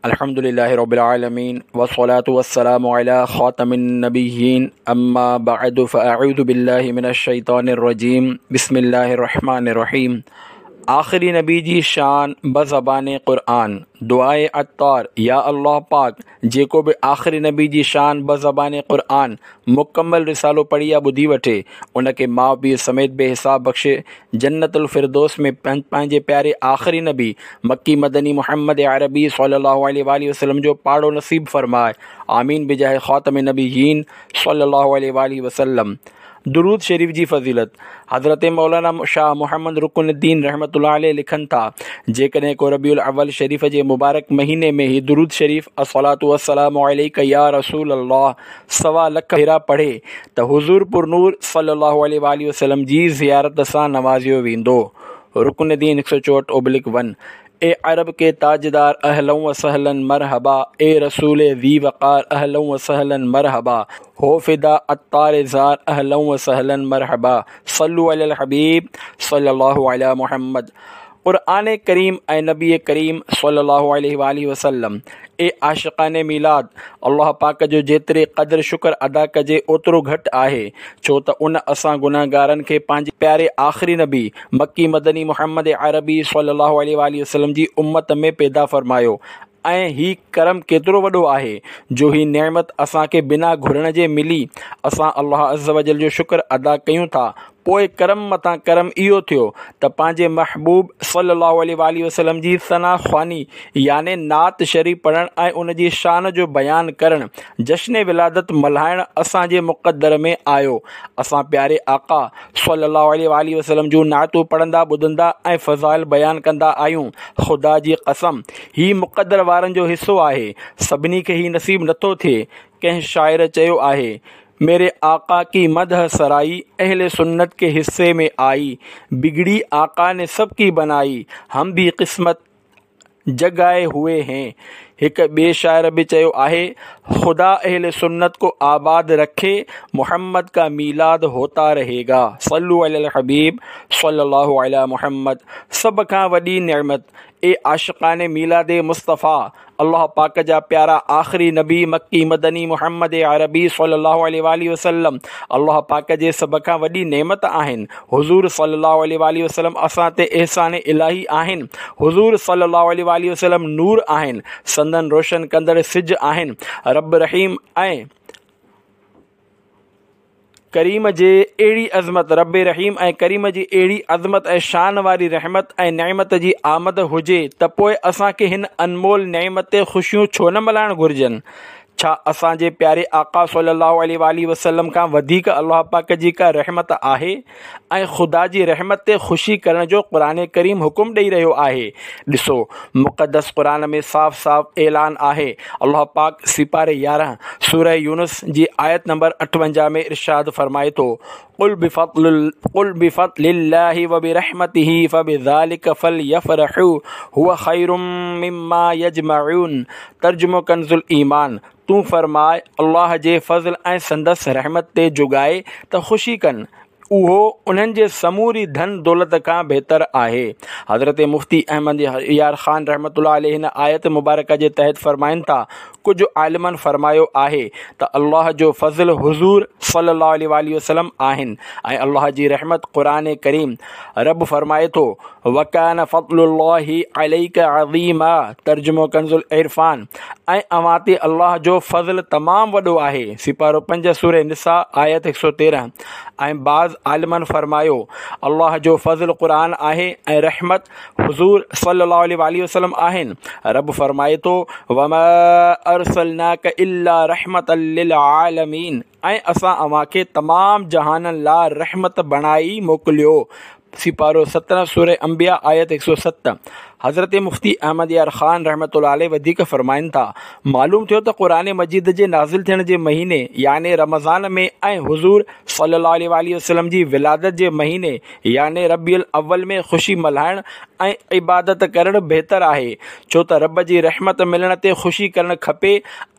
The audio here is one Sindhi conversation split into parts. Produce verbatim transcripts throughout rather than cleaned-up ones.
الحمد لله رب العالمين والصلاة والسلام على خاتم النبيين أما بعد فأعوذ بالله من الشيطان الرجيم بسم الله الرحمن الرحيم آخري نبي جي شان بزبان قرآن دعاء عطار يا الله پاڪ جيڪو به آخري نبي جي شان بزبان قرآن مڪمل رسالو پڙهي يا ٻڌي وٺي ان کي ماء پيء سميت بي حساب بخشي جنت الفردوس ۾ پنهنجي پياري آخري نبي مڪي مدني محمد عربي صلي الله عليه وآله وسلم جو پاڙو نصيب فرمائي آمين بجاه خاتم النبيين صلي الله عليه وآله وسلم درود شريف جي فضيلت حضرت مولانا شاهه محمد رڪن الدين رحمة الله عليه لکن ٿا جيڪڏهن ڪو ربيع الاول شريف جي مبارڪ مهيني ۾ هي درود شريف الصلوة والسلام عليڪ يا رسول الله سوا لک ڀيرا پڙهي ته حضور پرنور صلي الله عليه وآله وسلم جي زيارت سان نوازيو ويندو رڪن الدين هڪ سؤ چوهٺ اوبلڪ ون اي عرب ڪي تاجدار اهلا و سهلا مرحبا اي رسول ذي وقار اهلا و سهلا مرحبا هو فدا عطار زار اهلا و سهلا مرحبا صلو علي الحبيب صلي الله علي محمد قرآن ڪريم ۽ نبي ڪريم صلي الله عليه وآله وسلم اي عاشقان ميلاد الله پاڪ جو جيتري قدر شڪر ادا ڪجي اوترو گهٽ آهي ڇو ته ان اسان گنهگارن کي پنهنجي پياري آخري نبي مڪي مدني محمد عربي صلي الله عليه وآله وسلم جي امت ۾ پيدا فرمايو ۽ هي ڪرم ڪيترو وڏو آهي جو هي نعمت اسان کي بنا گهرڻ جي ملي اسان الله عزوجل جو شڪر ادا ڪيون ٿا پوء ڪرم مٿان ڪرم اهو ٿيو ته پنهنجي محبوب صلي الله عليه واٰله وسلم جي ثنا خواني يعني نعت شريف پڙهڻ ۽ ان جي شان جو بيان ڪرڻ جشن ولادت ملهائڻ اسان جي مقدر ۾ آيو اسان پياري آقا صلي الله عليه واٰله وسلم جون نعتون پڙهندا ٻڌندا ۽ فضائل بيان ڪندا آهيون خدا جي قسم هي مقدر وارن جو حصو آهي سڀني کي هي نصيب نٿو ٿئي ڪنهن شاعر چيو آهي ميري آقا ڪي مدح سرائي اهل سنت ڪي حصي ۾ آئي بگڙي آقا ني سب ڪي بنائي هم ڀي قسمت جگائي هوئي هين هڪ ٻئي شاعر به چيو آهي خدا اهل سنت ڪو آباد رکي محمد ڪا ميلاد هوتا رهي گا صلو علي الحبيب صلي الله علي محمد سڀ کان وڏي نعمت اي عاشقان ميلاد مصطفيٰ الله پاڪ جا پيارا آخري نبي مڪي مدني محمد عربي صلي الله عليه واٰله وسلم الله پاڪ جي سڀ کان وڏي نعمت آهن حضور صلي الله عليه واٰله وسلم اسان تي احسان الاهي آهن حضور صلي الله عليه واٰله وسلم نور آهن سندن روشن ڪندڙ سج آهن رب رحيم ۽ ڪريم جي اهڙي عظمت رب رحيم ۽ ڪريم جي اهڙي عظمت ۽ شان واري رحمت ۽ نعمت جي آمد هجي ته پوء اسان کي هن انمول نعمت تي خوشيون ڇو نه ملهائڻ گهرجن؟ ڇا اسان جي پياري آقا صلي الله عليه واٰله وسلم کان وڌيڪ الله پاڪ جي ڪا رحمت آهي؟ ۽ خدا جي رحمت تي خوشي ڪرڻ جو قرآن ڪريم حڪم ڏئي رهيو آهي. ڏسو مقدس قرآن ۾ صاف صاف اعلان آهي الله پاڪ سيپاري يارهن سوره يونس جي آيت نمبر اٺونجاهه ۾ ارشاد فرمائي ٿو قل بفضل قل بفضل الله وبرحمته فبذلك فليفرحوا هو خير مما يجمعون ترجمو ڪنز الايمان تون فرماء الله جي فضل ۽ سندس رحمت تي جوڳائي ته خوشي ڪن اهو انهن جي سموري ڌن دولت کان بهتر آهي. حضرت مفتي احمد يار خان رحمة الله عليه هن آيت مبارڪه جي تحت فرمائن ٿا، ڪجهه عالمن فرمايو آهي ته الله جو فضل حضور صلي الله عليه واٰله وسلم آهن ۽ الله جي رحمت قرآن ڪريم. رب فرمائي ٿو، وڪان فضل الله عليڪ عظيما ترجمو ڪنزالعرفان، ۽ اوهان تي الله جو فضل تمام وڏو آهي، سيپارو پنج سوره نساء آيت هڪ سؤ تيرهن، ۽ بعض عالمن فرمايو، الله جو فضل قرآن آهي ۽ رحمت حضور صلي الله عليه واٰله وسلم آهن، رب فرمائي ٿو، وما ارسلناک الا رحمة للعالمين ۽ اسان اوهان کي تمام جهانن لاء رحمت بڻائي موڪليو، سيپارو سترهن سوره انبياء آيت هڪ سؤ ست حضرت مفتي احمد يار خان رحمة الله عليه وڌيڪ فرمائن ٿا، معلوم ٿيو ته قرآن مجيد جي نازل ٿيڻ جي مهيني يعني رمضان ۾ ۽ حضور صلي الله عليه واٰله وسلم جي ولادت جي مهيني يعني ربيع الاول ۾ خوشي ملهائڻ ۽ عبادت ڪرڻ بهتر آهي ڇو ته رب جي رحمت ملڻ تي خوشي ڪرڻ کپي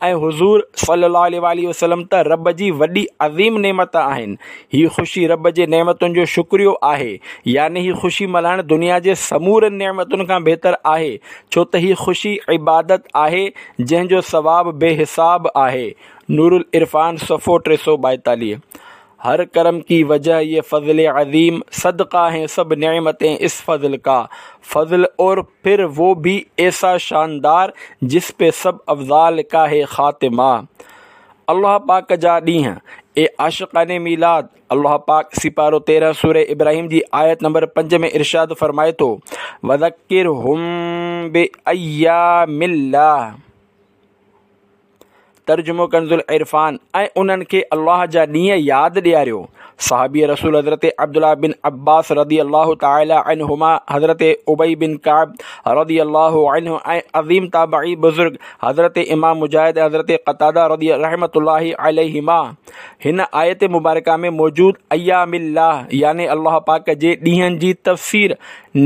۽ حضور صلي الله عليه واٰله وسلم ته رب جي وڏي عظيم نعمت آهن هي خوشي رب جي نعمتن جو شڪريو آهي، يعني هي خوشي ملهائڻ دنيا جي سمورين نعمتن کان بهتر بهتر آهي، ڇو ته هي خوشي عبادت آهي جنهن جو ثواب بي حساب آهي. نورالعرفان صفحو ٽي سؤ ٻائيتاليهه. هر ڪرم ڪي وجه يه فضل عظيم، صدقه هين سڀ نعمتين اس فضل ڪا، فضل اور پھر وو ڀي ايسا شاندار، جس پي سب افضال ڪا هي خاتمه. الله پاڪ جا ڏينهن. اي عاشقان ميلاد! الله پاڪ سيپارو تيرهن سوره ابراهيم جي آيت نمبر پنج ۾ ارشاد فرمائي ٿو، وذڪرهم بأيام الله. ترجمو ڪنزالعرفان، ۽ انهن کي الله جا ڏينهن ياد ڏياريو. صحابي رسول حضرت عبدالله بن عباس رضي الله تعالٰي عنهما، حضرت ابي بن ڪعب رضي الله عنه ۽ عظيم تابعي بزرگ حضرت امام مجاهد ۽ حضرت قتاده رضي رحمة الله عليهما هن آيت مبارڪه ۾ موجود ايام الله يعني الله پاڪ جي ڏينهن جي تفسير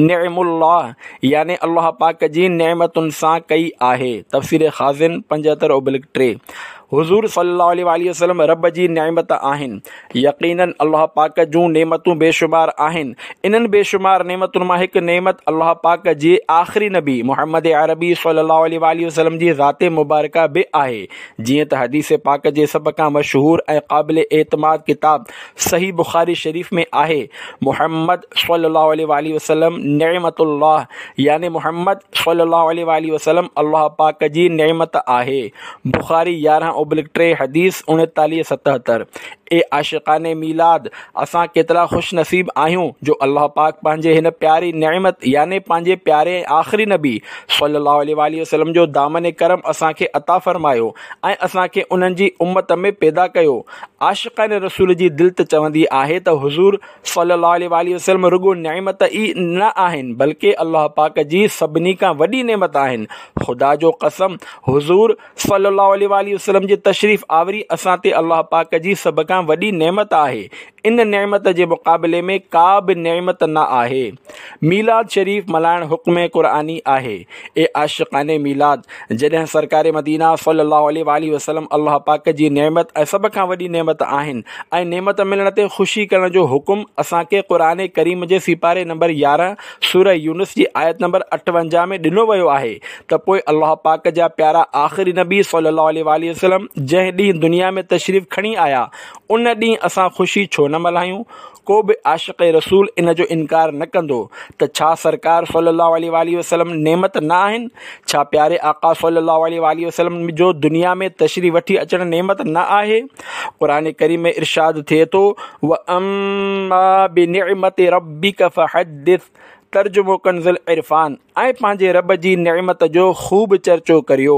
نعم الله يعني الله پاڪ جي نعمتن سان ڪئي آهي. تفسير خازن پنجهتر ابلڪ ٽي. حضور صلي الله عليه واٰله وسلم رب جي نعمت آهن. يقيناً الله پاڪ جون نعمتون بيشمار آهن. انهن بيشمار نعمتن مان هڪ نعمت الله پاڪ جي آخري نبي محمد عربي صلي الله عليه واٰله وسلم جي ذات مبارڪه به آهي. جيئن ته حديث پاڪ جي سڀ کان مشهور ۽ قابل اعتماد ڪتاب صحيح بخاري شريف ۾ آهي، محمد صلي الله عليه واٰله وسلم نعمت الله يعني محمد صلي الله عليه واٰله وسلم الله پاڪ جي نعمت آهي. بخاري يارهن اوبلڪ ٽي حديث اڻيتاليهه ستهتر. اي عاشقان ميلاد! اسان ڪيترا خوش نصيب آهيون جو الله پاڪ پنهنجي هن پياري نعمت يعني پنهنجي پياري ۽ آخري نبي صلي الله عليه واٰله وسلم جو دامن ڪرم اسان کي عطا فرمايو ۽ اسان کي انهن جي امت ۾ پيدا ڪيو. عاشقان رسول جي دل ته چوندي آهي ته حضور صلي الله عليه واٰله وسلم رڳو نعمت ئي نه آهن بلڪه الله پاڪ جي سڀني کان وڏي نعمت آهن. خدا جو قسم حضور صلي الله عليه واٰله وسلم جي تشريف آوري اسان تي الله پاڪ جي سڀ کان وڏي نعمت آهي. ان نعمت جي مقابلي ۾ ڪا به نعمت نه آهي. ميلاد شريف ملهائڻ حڪم قرآني آهي. اي عاشقان ميلاد! جڏهن سرڪار مدينه صلي الله عليه واٰله وسلم الله پاڪ جي نعمت ۽ سڀ کان وڏي نعمت آهن ۽ نعمت ملڻ تي خوشي ڪرڻ جو حڪم اسان کي قرآن ڪريم جي سيپاري نمبر يارهن سوره يونس جي آيت نمبر اٺونجاهه ۾ ڏنو ويو آهي ته پوء الله پاڪ جا پيارا آخري نبي صلي الله عليه واٰله وسلم جنهن ڏينهن دنيا ۾ تشريف کڻي آيا ان ڏينهن اسان خوشي ڇو نه ملهايون؟ ڪو به عاشق رسول ان جو انڪار نه ڪندو ته ڇا سرڪار صلي الله عليه واٰله وسلم نعمت نه آهن؟ ڇا پياري آقا صلي الله عليه واٰله وسلم جو دنيا ۾ تشريف وٺي اچڻ نعمت نه آهي؟ قرآن ڪريم ۾ ارشاد ٿئي ٿو، واما بنعمت ربک فحدث، ترجمو ڪنزالعرفان، ۽ پنهنجي رب جي نعمت جو خوب چرچو ڪريو.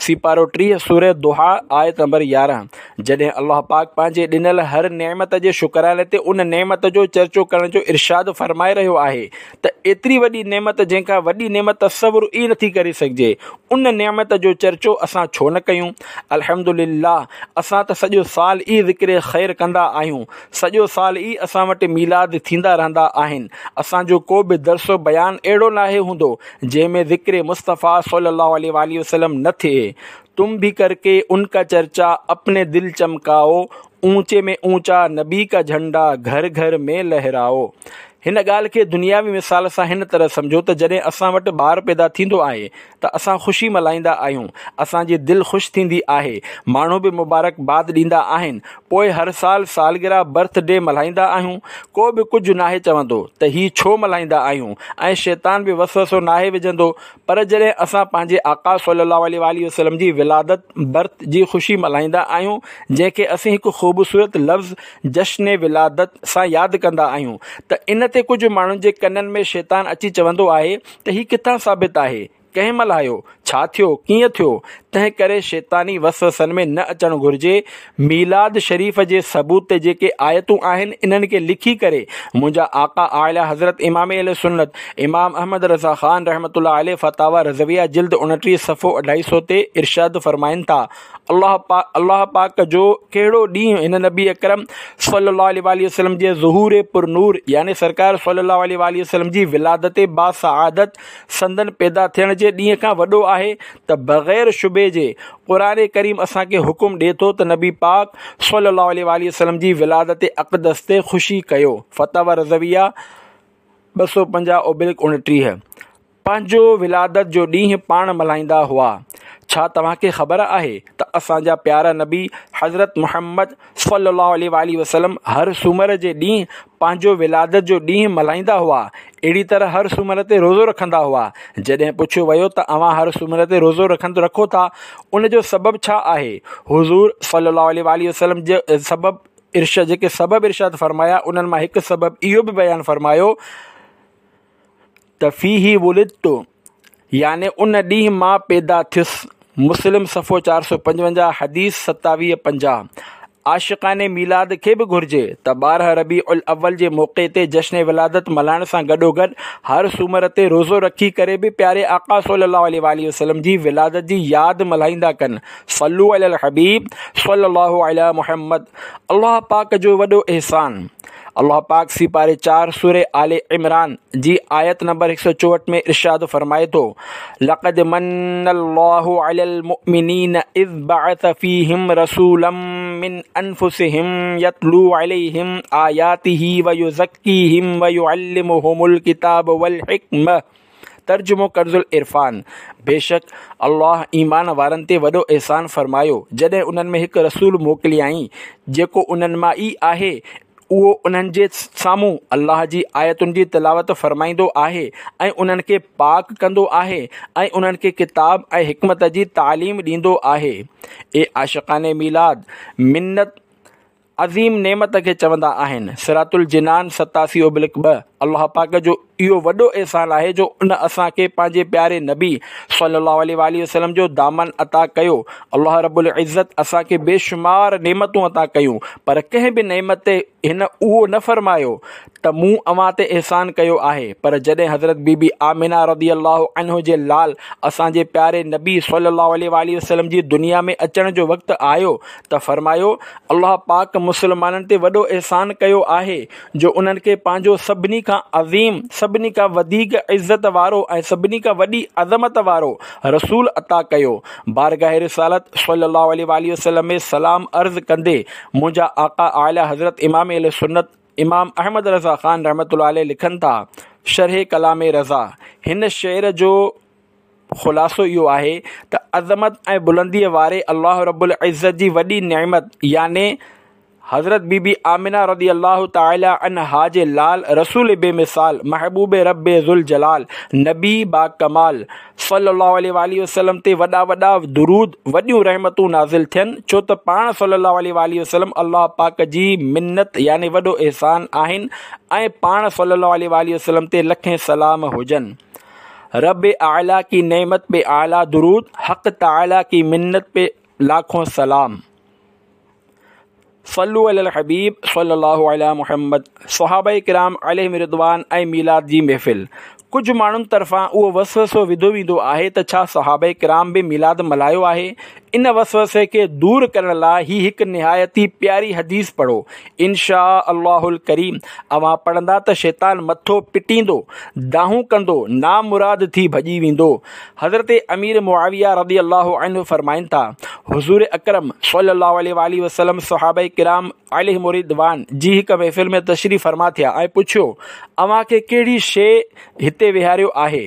سيپارو ٽيهه سوره ضحيٰ آيت نمبر يارهن جڏهن الله پاڪ پنهنجي ڏنل هر نعمت جي شڪراني تي ان نعمت جو چرچو ڪرڻ جو ارشاد فرمائي رهيو آهي ته ايتري وڏي نعمت جنهن کان وڏي نعمت تصور ئي نٿي ڪري سگهجي ان نعمت جو چرچو اسان ڇو نه ڪيون؟ الحمدلله اسان ته سڄو سال ئي ذڪر خير ڪندا آهيون سڄو سال ئي اسان وٽ ميلاد ٿيندا رهندا آهن. اسان جو ڪو به درس و بيان اهڙو ناهي هوندو جنهن ۾ ذڪر مصطفيٰ صلي الله عليه واٰله وسلم نه ٿئي. تم ڀي ڪر ڪي ان ڪا چرچا اپني دل چمڪائو، اونچي ۾ اونچا نبي ڪا جهنڊا گهر گهر ۾ لهرائو. هن ڳالهه کي دنياوي مثال سان هن طرح سمجهو ته جڏهن اسان وٽ ٻار پيدا ٿيندو آهي ته اسان خوشي ملهائيندا آهيون، اسان جي دل خوش ٿيندي آهي، ماڻهو به مبارڪ باد ڏيندا آهن، پوء هر سال سالگرهه برٿ ڊي ملهائيندا آهيون، ڪو به ڪجهه ناهي چوندو ته هي ڇو ملهائيندا آهيون ۽ شيطان به وسوسو ناهي وجهندو پر جڏهن اسان پنهنجي آقا صلي الله عليه واٰله وسلم جي ولادت، برٿ، جي خوشي ملهائيندا آهيون جنهن کي اسين هڪ خوبصورت لفظ جشن ولادت سان ياد ڪندا آهيون ته ان تي ڪجهه ماڻهن جي ڪنن ۾ شيطان اچي چوندو آهي ته هي ڪٿان ثابت آهي؟ ڪنهن ملهايو؟ ڇا ٿيو؟ ڪيئن ٿيو؟ تنهن ڪري شيطاني وسوسن ۾ نه اچڻ گهرجي. ميلاد شريف جي ثبوت تي جيڪي آيتون آهن انهن کي لکي ڪري منهنجا آقا اعليٰ حضرت امام اهل سنت امام احمد رضا خان رحمة الله عليه فتاويٰ رضويه جلد اڻٽيهه صفحو اڍائي سؤ تي ارشاد فرمائن ٿا الله پاڪ الله پاڪ جو ڪهڙو ڏينهن هن نبي اڪرم صلي الله عليه واٰله وسلم جي ظهور پر نور يعني سرڪار صلي الله عليه واٰله وسلم جي ولادت باسعادت سندن پيدا ٿيڻ جي ڏينهن کان وڏو آهي ته بغير شبهي جي قرآن ڪريم اسان کي حڪم ڏي ٿو ته نبي پاڪ صلي الله عليه واٰله وسلم جي ولادت اقدس تي خوشي ڪيو. فتاويٰ رضويه ٻه سؤ پنجاهه اوبلڪ اڻٽيهه. پنهنجو ولادت جو ڏينهن پاڻ ملهائيندا هئا. ڇا توهان کي خبر آهي ته اسان جا پيارا نبي حضرت محمد صلي الله عليه واٰله وسلم هر سومر جي ڏينهن پنهنجو ولادت جو ڏينهن ملهائيندا هئا؟ اهڙي طرح هر سومر تي روزو رکندا هئا. جڏهن پڇيو ويو ته اوهان هر سومر تي روزو رکند رکو ٿا، ان جو سبب ڇا آهي؟ حضور صلي الله عليه واٰله وسلم جي سبب ارشاد جيڪي سبب ارشاد فرمايا، انهن مان هڪ سبب اهو به بيان فرمايو ته فيه ولدت، يعني ان ڏينهن مان پيدا ٿيس. مسلم صفحو چار سؤ پنجونجاهه، حديث ستاويهه پنجاهه. عاشقان ميلاد کي به گهرجي ته ٻارهن ربيع الاول جي موقعي تي جشن ولادت ملهائڻ سان گڏوگڏ هر سومر تي روزو رکي ڪري به پياري آقا صلي الله عليه واٰله وسلم جي ولادت جي ياد ملهائيندا ڪن. صلو علی الحبيب صلي الله علي محمد. الله پاڪ جو وڏو احسان. الله پاڪ سيپاري چار سورة آل عمران جي آيت نمبر هڪ سؤ چوهٺ ۾ ارشاد فرمائي ٿو، لقد من الله علي المؤمنين اذ بعث فيهم رسولا من انفسهم يتلو عليهم آياته ويزكيهم ويعلمهم الڪتاب والحڪمة. ترجمو ڪنز العرفان، بيشڪ الله ايمان وارن تي وڏو احسان فرمايو جڏهن انهن ۾ هڪ رسول موڪليائين جيڪو انهن مان ئي آهي، اهو انهن جي سامهون الله جي آيتن جي تلاوت فرمائيندو آهي ۽ انهن کي پاڪ ڪندو آهي ۽ انهن کي ڪتاب ۽ حڪمت جي تعليم ڏيندو آهي. اي عاشقان ميلاد، منت عظيم نعمت کي چوندا آهن. صراط الجنان ستاسي ابلڪ ٻه. الله پاڪ جو اهو وڏو احسان آهي جو ان اسان کي پنهنجي پياري نبي صلي الله عليه واٰله وسلم جو دامن عطا ڪيو. الله رب العزت اسان کي بيشمار نعمتون عطا ڪيون، پر ڪنهن به نعمت تي هن اهو نه فرمايو ته مون اوهان تي احسان ڪيو آهي، پر جڏهن حضرت بي بي آمنه رضي الله عنه جي لال اسان جي پياري نبي صلي الله عليه واٰله وسلم جي دنيا ۾ اچڻ جو وقت آيو ته فرمايو، الله پاڪ مسلمانن تي وڏو احسان ڪيو آهي جو انهن کي پنهنجو سڀني کان عظيم، سڀني کان وڌيڪ عزت وارو ۽ سڀني کان وڏي عظمت وارو رسول عطا ڪيو. بارگاह رسالت صلي الله عليه واٰله وسلم ۾ سلام عرض ڪندي منهنجا آقا اعليٰ حضرت امام اهل سنت امام احمد رضا خان رحمة الله عليه لکن ٿا، شرح ڪلام رضا، هن شعر جو خلاصو اهو آهي ته عظمت ۽ بلنديء واري الله رب العزت جي وڏي نعمت يعني حضرت بي بي آمنه رضي الله تعالي عنها جي لال رسول بي مثال محبوب رب ذوالجلال نبي باڪمال صلّي اللّٰه عليه واٰله وسلّم تي وڏا وڏا درود، وڏيون رحمتون نازل ٿين، ڇو ته پاڻ صلّي اللّٰه عليه واٰله وسلّم الله پاڪ جي منت يعني وڏو احسان آهن ۽ پاڻ صلّي اللّٰه عليه واٰله وسلّم تي لکين سلام هجن. رب اعليٰ ڪي نعمت پي اعليٰ درود، حق تعاليٰ ڪي منت پي لاکون سلام. صلو علی الحبيب صلي الله علي محمد. صحابه ڪرام عليهم الرضوان ۽ ميلاد جي محفل. ڪجهه ماڻهن طرفان اهو وسوسو وڌو ويندو آهي ته ڇا صحابه ڪرام به ميلاد ملهايو آهي؟ ان وسوسي کي دور ڪرڻ لاء هي هڪ نهايت ئي پياري حديث پڙهو، ان شاء الله الڪريم اوهان پڙهندا ته شيطان مٿو پٽيندو، دانهون ڪندو، نامراد ٿي ڀڄي ويندو. حضرت امير معاويه رضي الله عنه فرمائن ٿا، حضور اڪرم صلي الله عليه واٰله وسلم صحابه ڪرام عليهم الرضوان جي هڪ محفل ۾ تشريف فرما ٿيا ۽ پڇيو، اوهان کي ڪهڙي شيء هتي ويهاريو آهي؟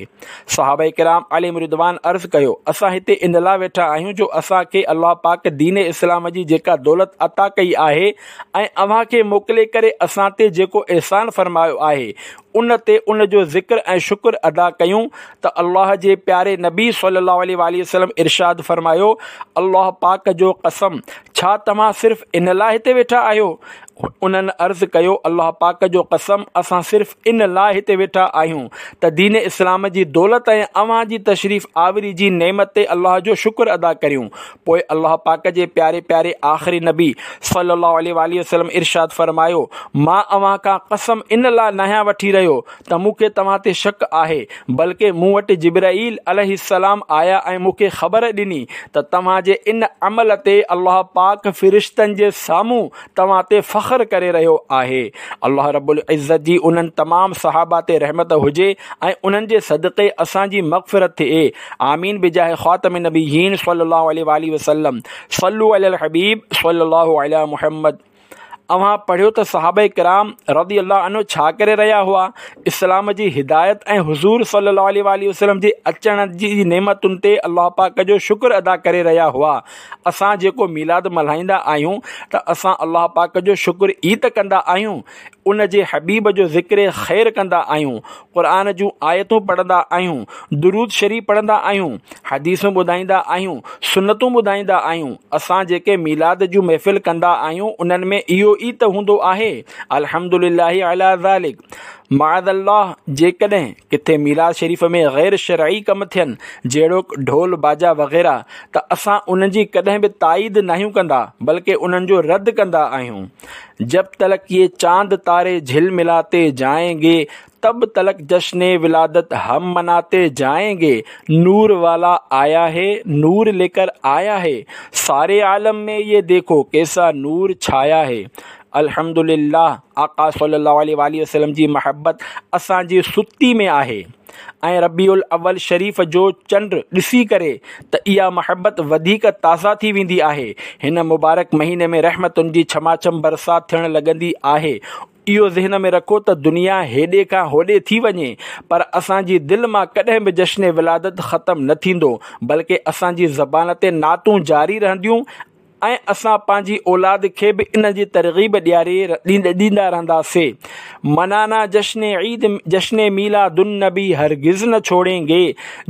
صحابه ڪرام عليهم الرضوان عرض ڪيو، اسان هتي ان لاء ويٺا آهيون جو اسان کي الله پاڪ دين اسلام جي جيڪا دولت عطا ڪئي آهي ۽ اوهان کي موڪلي ڪري اسان تي جيڪو احسان فرمايو آهي ان تي ان جو ذڪر ۽ شڪر ادا ڪيون ته الله جي پياري نبي صلي الله عليه واٰله وسلم ارشاد فرمايو، الله پاڪ جو قسم ڇا توهان صرف ان لاء هتي ويٺا آهيو؟ انهن عرض ڪيو، الله پاڪ جو قسم اسان صرف ان لاء هتي ويٺا آهيون ته دين اسلام جي دولت ۽ اوهان جي تشريف آوري جي نعمت تي الله جو شڪر ادا ڪريون. پوء الله پاڪ جي پياري پياري آخري نبي صلي الله عليه واٰله وسلم ارشاد فرمايو، مان اوهان کان قسم ان لاء ناهيان وٺي رهيو ته مون کي توهان تي شڪ آهي، بلڪه مون وٽ جبرائيل عليه السلام آيا ۽ مون کي خبر ڏني ته توهان جي ان عمل تي الله پاڪ فرشتن جي سامهون توهان تي فخر ڪري رهيو آهي. الله رب العزت جي انهن تمام صحابه تي رحمت هجي ۽ انهن جي صدقي اسان جي مغفرت ٿئي. آمين بجاه خاتم النبيين صلي الله عليه واٰله وسلم. صلو علي الحبيب صلي الله علي محمد. اوهان پڙهيو ته صحابه ڪرام رضي الله عنه ڇا ڪري رهيا هئا؟ اسلام جي هدايت ۽ حضور صلي الله عليه واٰله وسلم جي اچڻ جي نعمتن تي الله پاڪ جو شڪر ادا ڪري رهيا هئا. اسان جيڪو ميلاد ملهائيندا آهيون ته اسان الله پاڪ جو شڪر ئي ته ڪندا آهيون، ان جي حبيب جو ذڪر خير ڪندا آهيون، قرآن جون آيتون پڙهندا آهيون، درود شريف پڙهندا آهيون، حديثون ٻڌائيندا آهيون، سنتون ٻڌائيندا آهيون. اسان جيڪي ميلاد جون محفل ڪندا آهيون انهن ۾ اهو ئي ته هوندو آهي. الحمدلله علي ذلڪ. معاذ الله جيڪڏهن ڪٿي ميلاد شريف ۾ غير شرعي ڪم ٿين جهڙوڪ ڍول باجا وغيره ته اسان انهن جي ڪڏهن به تائيد ناهيون ڪندا بلڪه انهن جو رد ڪندا آهيون. جب تلڪ يي چاند تاري جهل ملاتي جائين گي تب تلڪ جشن ولادت هم مناتي جائين گي نور والا آيا هي نور ليڪر آيا هي ساري عالم ۾ يي ديکو ڪيسا نور ڇايا هي. الحمدلله آقا صلي الله عليه واٰله وسلم جي محبت اسان جي ستي ۾ آهي ۽ ربيع الاول شريف جو چنڊ ڏسي ڪري ته اها محبت وڌيڪ تازه ٿي ويندي آهي. هن مبارڪ مهيني ۾ رحمتن جي ڇماڇم برسات ٿيڻ لڳندي آهي. اهو ذهن ۾ رکو ته دنيا هيڏي کان هوڏي ٿي وڃي پر اسان جي دل مان ڪڏهن به جشن ولادت ختم نه ٿيندو بلڪه اسان جي زبان تي نعتون جاري رهنديون ۽ اسان پنهنجي اولاد کي به ان جي ترغيب ڏياري ڏيندا رهنداسين. منانا جشن عيد جشن ميلاد النبي هرگز نه ڇوڙين گي،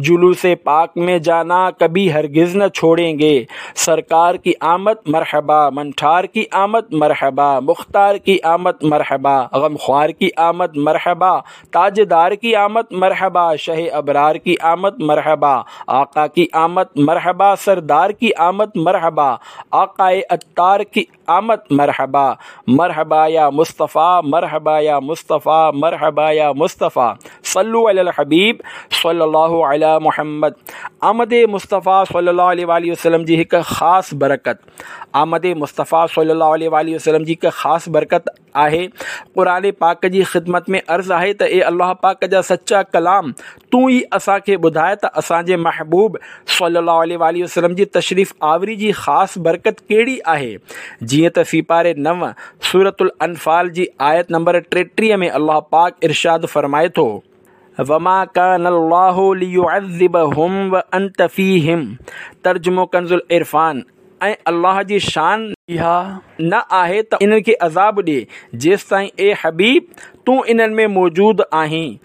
جلوس پاڪ ۾ جانا ڪڀي هرگز نه ڇوڙين گي. سرڪار ڪي آمد مرحبا، منٺار ڪي آمد مرحبا، مختار ڪي آمد مرحبا، غمخوار ڪي آمد مرحبا، تاجدار ڪي آمد مرحبا، شه ابرار ڪي آمد مرحبا، آقا ڪي آمد مرحبا، سردار ڪي آمد مرحبا، آقاء عطار ڪي آمد مرحبا، مرحبا يا مصطفيٰ، مرحبا يا مصطفيٰ، مرحبا يا مصطفيٰ، صلو علي الحبيب صلي الله علي محمد. آمد مصطفيٰ صلي الله عليه واٰله وسلم جي هڪ خاص برڪت، آمد مصطفيٰ صلي الله عليه واٰله وسلم جي هڪ خاص برڪت آهي. قرآن پاڪ جي خدمت ۾ عرض آهي ته اي الله پاڪ جا سچا ڪلام، تون ئي اسان کي ٻڌاء ته اسان جي محبوب صلي الله عليه واٰله وسلم جي تشريف آوري جي خاص برڪت ڪهڙي آهي. جيئن ته سيپاري نو سورة الانفال جي آيت نمبر ٽيٽيهه ۾ الله پاڪ ارشاد فرمائي ٿو، وما ڪان الله ليعذبهم وانت فيهم، ترجمو ڪنز العرفان، ۽ الله جي شان اها نه آهي ته انهن کي عذاب ڏئي جيستائين اي حبيب تون انهن ۾ موجود آهين.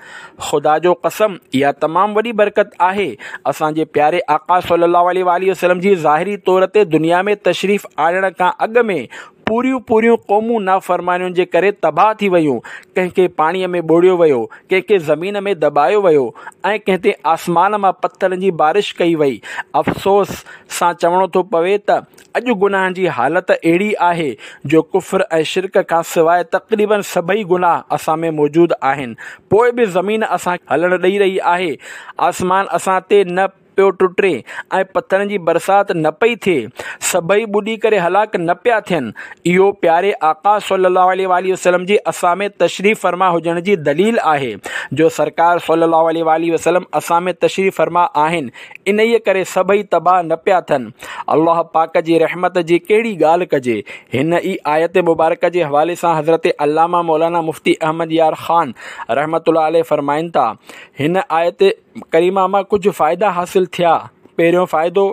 خدا جو قسم اها تمام وڏي برڪت آهي اسان جي پياري آقا صلي الله عليه واٰله وسلم جي ظاهري طور تي دنيا ۾ تشريف آڻڻ کان اڳ ۾ پوريون پوريون قومون نافرمانين جي ڪري تباهه ٿي ويون، ڪنهن کي پاڻيء ۾ ٻوڙيو ويو، ڪنهن کي زمين ۾ دٻايو ويو ۽ ڪنهن تي آسمان مان پٿرن جي بارش ڪئي وئي. افسوس سان چوڻو ٿو پوي ته اڄ گناهن جي حالت اهڙي آهي جو ڪفر ۽ شرڪ کان سواء تقريباً سڀئي گناهه اسان ۾ موجود آهن، پوء به زمين اسان کي هلڻ ڏئي رهي آهي، آسمان اسان تي نه پيو ٽٽي ۽ پٿرن جي برسات نه پئي ٿئي، سڀئي ٻڏي ڪري هلاڪ نه پيا ٿين. اهو پياري آقا صلي الله عليه واٰله وسلم جي اسان ۾ تشريف فرما هجڻ جي دليل آهي جو سرڪار صلي الله عليه واٰله وسلم اسان ۾ تشريف فرما آهن، انهيء ڪري سڀئي تباهه نه پيا ٿين. الله پاڪ جي رحمت جي ڪهڙي ڳالهه ڪجي. هن ئي آيت مبارڪه جي حوالي سان حضرت علامه مولانا مفتي احمد يار خان رحمة الله عليه فرمائن ٿا، هن آيت ڪريمه مان ڪجهه فائدا حاصل ٿيا، پهريون فائدو،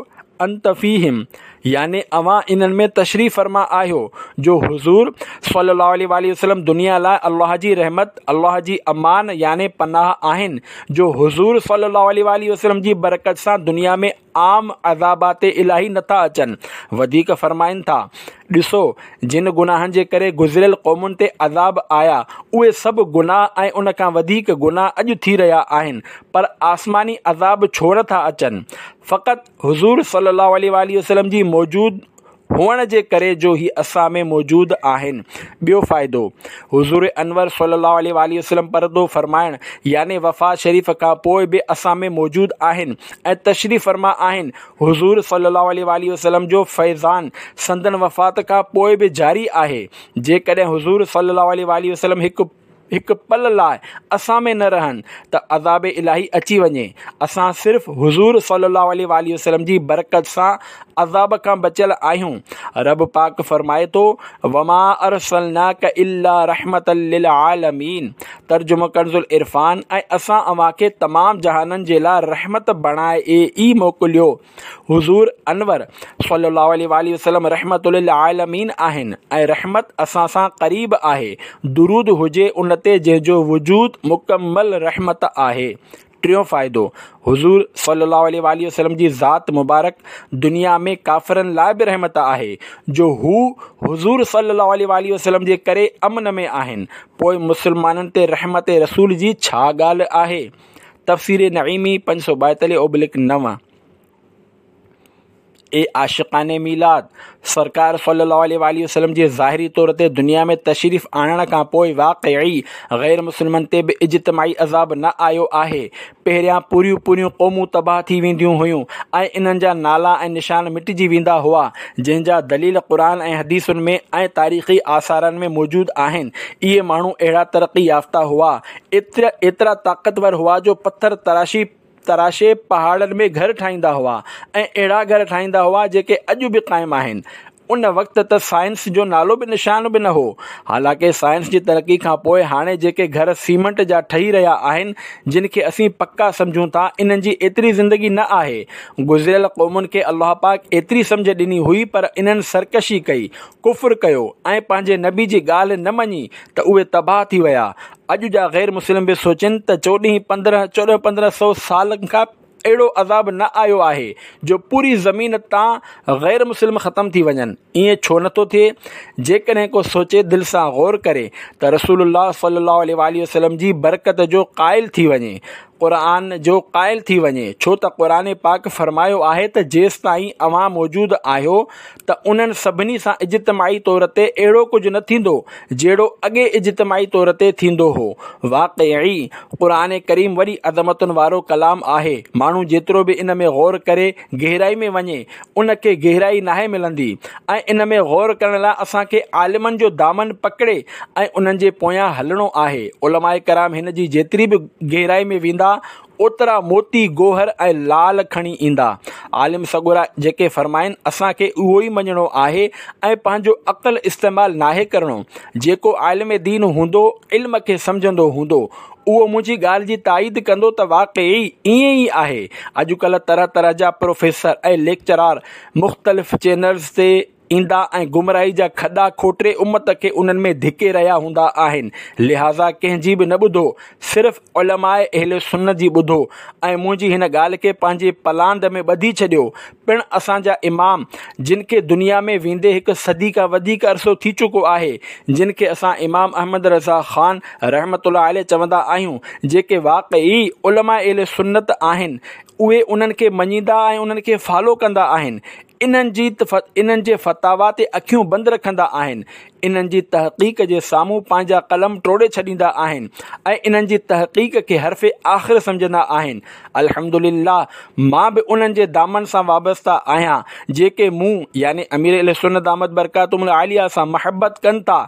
انت فيهم يعني اوهان انهن ۾ تشريف فرما آهيو، جو حضور صلي الله عليه واٰله وسلم دنيا لاء الله جي رحمت، الله جي امان يعني پناهه آهن، جو حضور صلي الله عليه واٰله وسلم جي برڪت سان دنيا ۾ عام عذابات الاهي نٿا اچن. وڌيڪ فرمائن ٿا، ڏسو، جن گناهن جي ڪري گذريل قومن تي عذاب آيا، اهي سڀ گناهه ۽ ان کان وڌيڪ گناهه اڄ ٿي رهيا آهن، پر آسماني عذاب ڇو نٿا اچن؟ فقط حضور صلي الله عليه واٰله وسلم جي موجود هئڻ جي ڪري جو هي اسان ۾ موجود آهن. ٻيو فائدو، حضور انور صلي الله عليه واٰله وسلم پردو فرمائڻ يعني وفات شريف کان پوء به اسان ۾ موجود آهن ۽ تشريف فرما آهن. حضور صلي الله عليه واٰله وسلم جو فيضان سندن وفات کان پوء به جاري آهي. جيڪڏهن حضور صلي الله عليه واٰله وسلم هڪ هڪ پل لاءِ اسان ۾ نه رهن ته عذاب الاهي اچي وڃي. اسان صرف حضور صلي الله عليه واٰله وسلم جي برڪت سان عذاب کان بچيل آهيون. رب پاڪ فرمائي ٿو، وما ارسلناڪ الا رحمة للعالمين، ترجمو ڪنز العرفان، ۽ اسان اوهان کي تمام جهانن جي لاءِ رحمت بڻائي ئي موڪليو. حضور انور صلي الله عليه واٰله وسلم رحمة للعالمين آهن ۽ رحمت اسان سان قريب آهي. درود هجي ان تي جنهن جو وجود مڪمل رحمت آهي. ٽيون فائدو، حضور صلي الله عليه واٰله وسلم جي ذات مبارڪ دنيا ۾ ڪافرن لاءِ به رحمت آهي، جو هو حضور صلي الله عليه واٰله وسلم جي ڪري امن ۾ آهن. پوءِ مسلمانن تي رحمت رسول جي ڇا ڳالهه آهي؟ تفسير نعيمي پنج سؤ ٻائيتاليهه اوبلڪ نو. اي عاشقان ميلاد، سرڪار صلي الله عليه واٰله وسلم جي ظاهري طور تي دنيا ۾ تشريف آڻڻ کان پوءِ واقعي غير مسلمن تي به اجتماعي عذاب نه آيو آهي. پهريان پوريون پوريون قومون تباهه ٿي وينديون هيون ۽ انهن جا نالا ۽ نشان مٽجي ويندا هئا، جنهن جا دليل قرآن ۽ حديثن ۾ ۽ تاريخي آثارن ۾ موجود آهن. اهي ماڻهو اهڙا ترقي يافته هئا، ايترا ايترا طاقتور هئا جو پٿر تراشي تراشي پهاڙن ۾ گهر ٺاهيندا هئا ۽ اهڙا گهر ٺاهيندا هئا جيڪي اڄ به قائم آهن. ان وقت ته سائنس جو نالو به نشان به نه هو. حالانڪه سائنس جي ترقي کان پوءِ هاڻي جيڪي گهر سيمينٽ جا ٺهي رهيا آهن، جن کي اسين پڪا سمجهون ٿا، انهن جي ايتري زندگي نه آهي. گذريل قومن کي الله پاڪ ايتري سمجهه ڏني هئي، پر انهن سرڪشي ڪئي، ڪفر ڪيو ۽ پنهنجي نبي جي ڳالهه نه مڃي ته اهي تباهه ٿي ويا. اڄ جا غير مسلم به سوچن ته چوڏهن پندرهن چوڏهن پندرهن سؤ سال کان اهڙو عذاب نه آيو آهي جو پوري زمين تان غير مسلم ختم ٿي وڃن. ائين ڇو نٿو ٿئي؟ جيڪڏهن ڪو سوچي، دل سان غور ڪري ته رسول الله صلي الله عليه واٰله وسلم جي برڪت جو قائل ٿي وڃي، قرآن جو قائل ٿي وڃي. ڇو ته قرآن پاڪ فرمايو آهي ته جيستائين اوهان موجود آهيو ته انهن سڀني سان اجتماعي طور تي اهڙو ڪجهه نه ٿيندو جهڙو اڳي اجتماعي طور تي ٿيندو هو. واقعي قرآن ڪريم وڏي عظمتن وارو ڪلام آهي. ماڻهو جيترو به ان ۾ غور ڪري، گهرائي ۾ وڃي، ان کي گهرائي ناهي ملندي. ۽ ان ۾ غور ڪرڻ لاءِ اسان کي عالمن جو دامن پڪڙي ۽ انهن جي پويان هلڻو آهي. علماء ڪرام هن جي جيتري به گهرائي ۾ ويندا، اوترا موتي، گوهر ۽ لال کڻي ايندا. عالم سڳورا جيڪي فرمائن، اسان کي اهو ئي مڃڻو آهي ۽ پنهنجو عقل استعمال ناهي ڪرڻو. جيڪو عالم دين هوندو، علم کي سمجهندو هوندو، اهو منهنجي ڳالهه جي تائيد ڪندو ته واقعي ائين ئي آهي. اڄڪلهه طرح طرح جا پروفيسر ۽ ليڪچرار مختلف چينلز تي ايندا ۽ گمراهي جا کڏا کوٽي امت کي انهن ۾ ڌڪي رهيا هوندا آهن. لهذا ڪنهن جي به نه ٻڌو، صرف علماء اهل سنت جي ٻڌو ۽ منهنجي هن ڳالهه کي پنهنجي پلاند ۾ ٻڌي ڇڏيو. پڻ اسان جا امام، جن کي دنيا ۾ ويندي هڪ صدي کان وڌيڪ عرصو ٿي چڪو آهي، جن کي اسان امام احمد رضا خان رحمة الله عليه چوندا آهيون، جيڪي واقعي علماء اهل سنت آهن، اهي انهن کي مڃيندا ۽ انهن کي فالو ڪندا آهن. انهن جي انهن جي فتاوا تي اکيون بند رکندا آهن، انهن جي تحقيق جي سامهون پنهنجا قلم ٽوڙي ڇڏيندا آهن ۽ انهن جي تحقيق کي حرف آخر سمجهندا آهن. الحمدلله، مان به انهن جي دامن سان وابسته آهيان، جيڪي مون يعني امير اهل سنت دامت برڪاتهم العاليه سان محبت ڪن ٿا،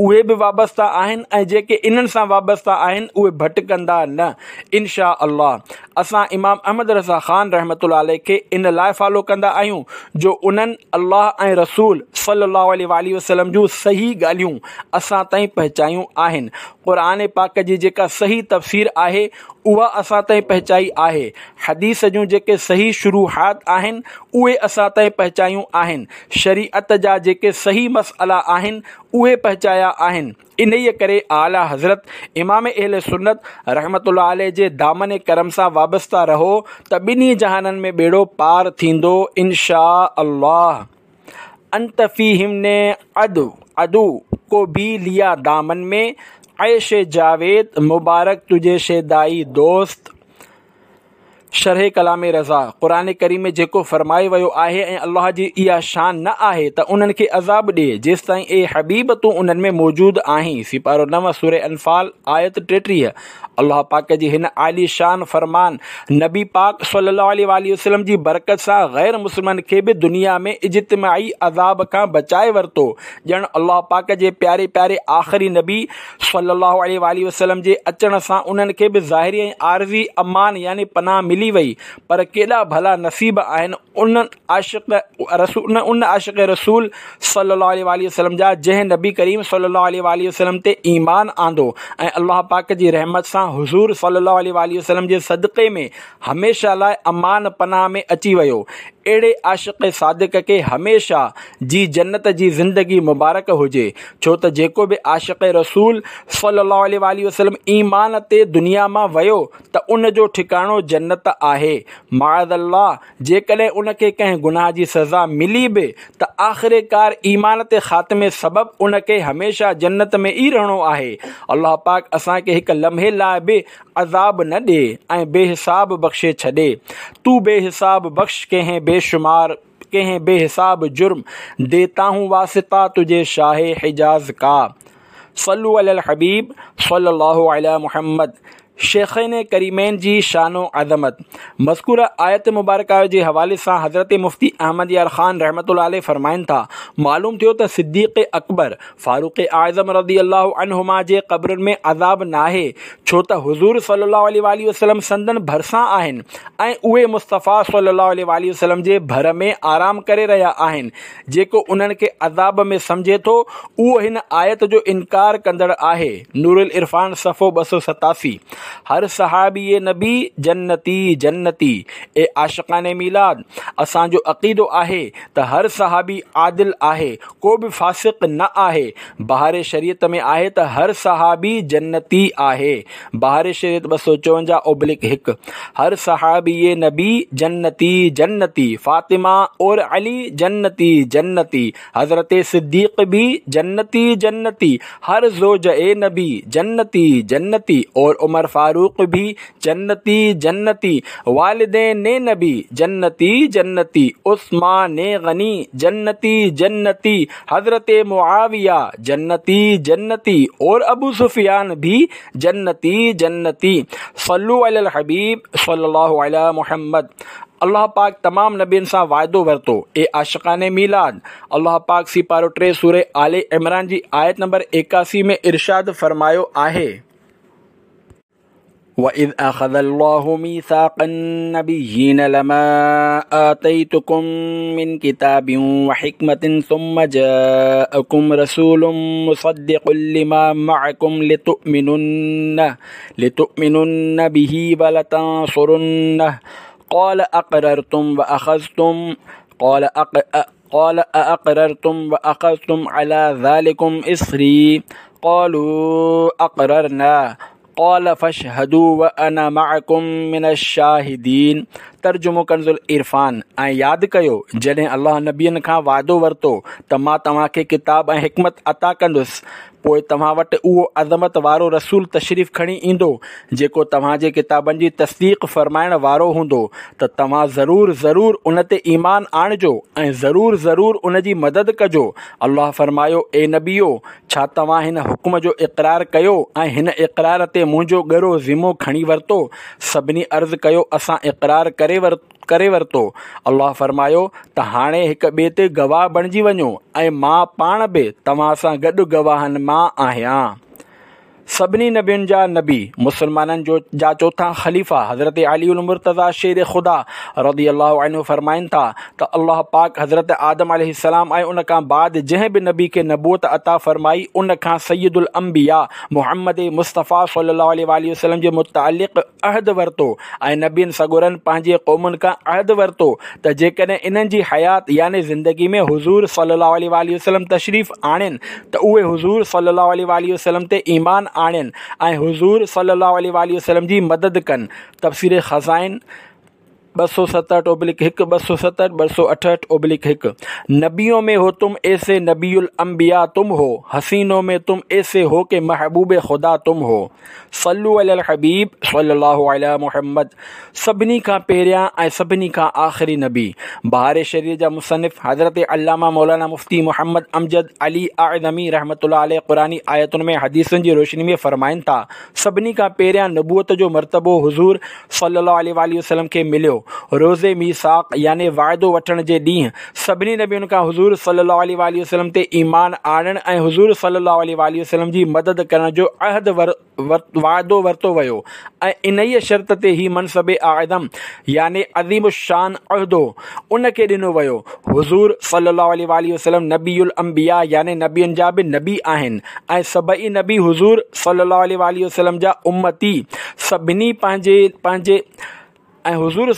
اهي به وابسته آهن ۽ جيڪي انهن سان وابسته آهن، اهي ڀٽڪندا نه، انشاء الله. اسان امام احمد رضا خان رحمة الله عليه کي ان لاءِ فالو ڪندا آهيون جو انهن الله ۽ رسول صلي الله عليه واٰله وسلم جون صحيح ڳالهيون اسان تائين پهچايون آهن. قرآن پاڪ جي جيڪا صحيح تفسير آهي، اها اسان تائين پهچائي آهي. حديث جون جيڪي صحيح شروحات آهن، اهي اسان تائين پهچايون آهن. شريعت جا جيڪي صحيح مسئلا آهن، اهي پهچايا آهن. انهيءَ ڪري اعليٰ حضرت امام اهل سنت رحمة الله عليه جي دامن ڪرم سان وابسته رهو ته ٻنهي جهانن ۾ ٻيڙو پار ٿيندو، انشاء الله. انت فيهم ने عدو عدو को भी लिया दामन में، ऐश जावेद मुबारक तुझे शैदाई दोस्त. شرح ڪلام رضا، قرآن ڪريم ۾ جيڪو فرمايو ويو آهي ۽ الله جي اها شان نه آهي ته انهن کي عذاب ڏئي جيستائين اي حبيب تون انهن ۾ موجود آهين. سيپارو نو سوره انفال آيت ٽيٽيهه. الله پاڪ جي هن عالي شان فرمان نبي پاڪ صلي الله عليه واٰله وسلم جي برڪت سان غير مسلمن کي به دنيا ۾ اجتماعي عذاب کان بچائي ورتو. ڄڻ الله پاڪ جي پياري پياري آخري نبي صلي الله عليه واٰله وسلم جي اچڻ سان انهن کي به ظاهري ۽ عارضي امان يعني پناهه ملي وئي. پر ڪيڏا ڀلا نصيب آهن ان عاشق رسول ان عاشق رسول صلي الله عليه واٰله وسلم جا جنهن نبي ڪريم صلي الله عليه واٰله وسلم تي ايمان آندو ۽ الله پاڪ جي رحمت سان حضور صلي الله عليه واٰله وسلم جي صدقي ۾ هميشه لاء امان پناهه ۾ اچي ويو. اهڙي عاشق صادق کي هميشه جي جنت جي زندگي مبارڪ هجي، ڇو ته جيڪو به عاشق رسول صلي الله عليه واٰله وسلم ايمان تي دنيا مان ويو ته ان جو ٺڪاڻو جنت آهي. معاذ الله جيڪڏهن ان کي ڪنهن گناهه جي سزا ملي به ته آخرڪار ايمان تي خاتمي سبب ان کي هميشه جنت ۾ ئي رهڻو آهي. الله پاڪ اسان کي هڪ لمحي لاء به عذاب نه ڏي ۽ بي حساب بخشي ڇڏي. تو بي حساب بخش ڪنهن بي شمار ڪنهن بي حساب جرم، ديتا هون واسطه تجهي شاهه حجاز کا. صلو علی الحبيب صلي الله علي محمد. شيخين ڪريمين جي شان و عظمت. مذڪوره آيت مبارڪه جي حوالي سان حضرت مفتي احمد يار خان رحمة الله عليه فرمائن ٿا، معلوم ٿيو ته صديق اڪبر، فاروق اعظم رضي الله عنهما جي قبرن ۾ عذاب ناهي، ڇو ته حضور صلي الله عليه واٰله وسلم سندن ڀرسان آهن ۽ اهي مصطفيٰ صلي الله عليه واٰله وسلم جي ڀر ۾ آرام ڪري رهيا آهن. جيڪو انهن کي عذاب ۾ سمجهي ٿو اهو هن آيت جو انڪار ڪندڙ آهي. نورالعرفان صفحو ٻه سؤ ستاسي. هر صحابي نبي جنتي جنتي. اي عاشقان ميلاد! اسان جو عقيدو آهي ته هر صحابي عادل آهي، ڪو به فاسق نه آهي. بهار شريعت ۾ آهي ته هر صحابي جنتي آهي. بهار شريعت ٻه سؤ چوونجاهه اوبلڪ هڪ. هر صحابي نبي جنتي جنتي، فاطمه اور علي جنتي جنتي، حضرت صديق به جنتي جنتي، هر زوج نبي جنتي جنتي، اور عمر فاروق به جنتي جنتي، والدين نبي جنتي جنتي، عثمان غني جنتي جنتي، حضرت معاويه جنتي جنتي، اور ابو سفيان به جنتي جنتي. صلو علی الحبيب صلي الله علي محمد. الله پاڪ تمام نبين سان واعدو ورتو. اي عاشقان ميلاد! الله پاڪ سيپارو ٽي سوره آل عمران جي آيت نمبر ايڪاسي ۾ ارشاد فرمايو آهي. وَإِذْ أَخَذَ اللَّهُ مِيثَاقَ النَّبِيِّينَ لَمَا آتَيْتُكُم مِّن كِتَابٍ وَحِكْمَةٍ ثُمَّ جَاءَكُمْ رَسُولٌ مُصَدِّقٌ لِّمَا مَعَكُمْ لِتُؤْمِنُنَّ لِتُؤْمِنُنَّ بِهِ وَلَتَنصُرُنَّهُ قَالَ أَقْرَرْتُمْ وَأَخَذْتُمْ قَالَ قَالَ أَأَقْرَرْتُمْ وَأَخَذْتُمْ عَلَى ذَلِكُمْ إِصْرِي قَالُوا أَقْرَرْنَا قال فاشهدوا وانا معڪم من الشاهدين. ترجمو ڪنز العرفان. ۽ ياد ڪيو جڏهن الله نبين کان وعدو ورتو ته مان توهان کي ڪتاب ۽ حڪمت عطا ڪندس، پوء توهان وٽ اهو عظمت وارو رسول تشريف کڻي ايندو جيڪو توهان جي ڪتابن جي تصديق فرمائڻ وارو هوندو ته توهان ضرور ضرور ان تي ايمان آڻجو ۽ ضرور ضرور ان جي مدد ڪجو. الله فرمايو، اي نبيو! ڇا توهان هن حڪم جو اقرار ڪيو ۽ هن اقرار تي منهنجو ڳرو ذمو کڻي ورتو؟ سڀني عرض ڪيو، اسان اقرار ڪري ورتو. الله فرمايو ته هاڻي هڪ ٻئي تي گواهه بڻجي وڃو ۽ مان پاڻ به توهان سان گڏ گواهن مان آهيان. سڀني نبين جا نبي، مسلمانن جو جا چوٿان خليفا حضرت علي المرتضيٰ شير خدا رضي الله عنه فرمائن ٿا ته الله پاڪ حضرت آدم عليه السلام ۽ ان کان بعد جنهن به نبي کي نبوت عطا فرمائي ان کان سيد الانبياء محمد مصطفيٰ صلي الله عليه واٰله وسلم جي متعلق عهد ورتو ۽ نبين سڳورن پنهنجي قومن کان عهد ورتو ته جيڪڏهن انهن جي حيات يعني زندگي ۾ حضور صلي الله عليه واٰله وسلم تشريف آڻين ته اهي حضور صلي الله عليه واٰله وسلم تي ايمان آڻين ۽ حضور صلي الله عليه واٰله وسلم جي مدد ڪن. تفسير خزائن. ٻه سؤ ستهٺ اوبلڪ هڪ، ٻه سؤ ستهٺ، ٻه سؤ اٺهٺ اوبلڪ هڪ. نبيون ۾ هو تم ايسي نبي الانبياء تم هو، حسينون ۾ تم ايسي هو ڪه محبوب خدا تم هو. صلو علي الحبيب صلي الله علي محمد. سڀني کان پهريان ۽ سڀني کان آخري نبي. بهار شريعت جا مصنف حضرت علامه مولانا مفتي محمد امجد علي اعظمي رحمة الله عليه قرآني آيتن ۾ حديثن جي روشني ۾ فرمائن ٿا، سڀني کان پهريان نبوت جو مرتبو حضور صلي الله عليه واٰله وسلم کي مليو. روز ميثاق يعني وعدو وٺڻ جي ڏينهن سڀني نبين کان حضور صلي الله عليه واٰله وسلم تي ايمان آڻڻ ۽ حضور صلي الله عليه واٰله وسلم جي مدد ڪرڻ جو عهد وعدو ورتو ويو ۽ انهيء شرط تي هي منصب اعظم يعني عظيم الشان عهدو ان کي ڏنو ويو. حضور صلي الله عليه واٰله وسلم نبي الانبياء يعني نبين جا به نبي آهن ۽ سڀئي نبي حضور صلي الله عليه واٰله وسلم جا امتي سڀني پنهنجي پنهنجي ۽ حضور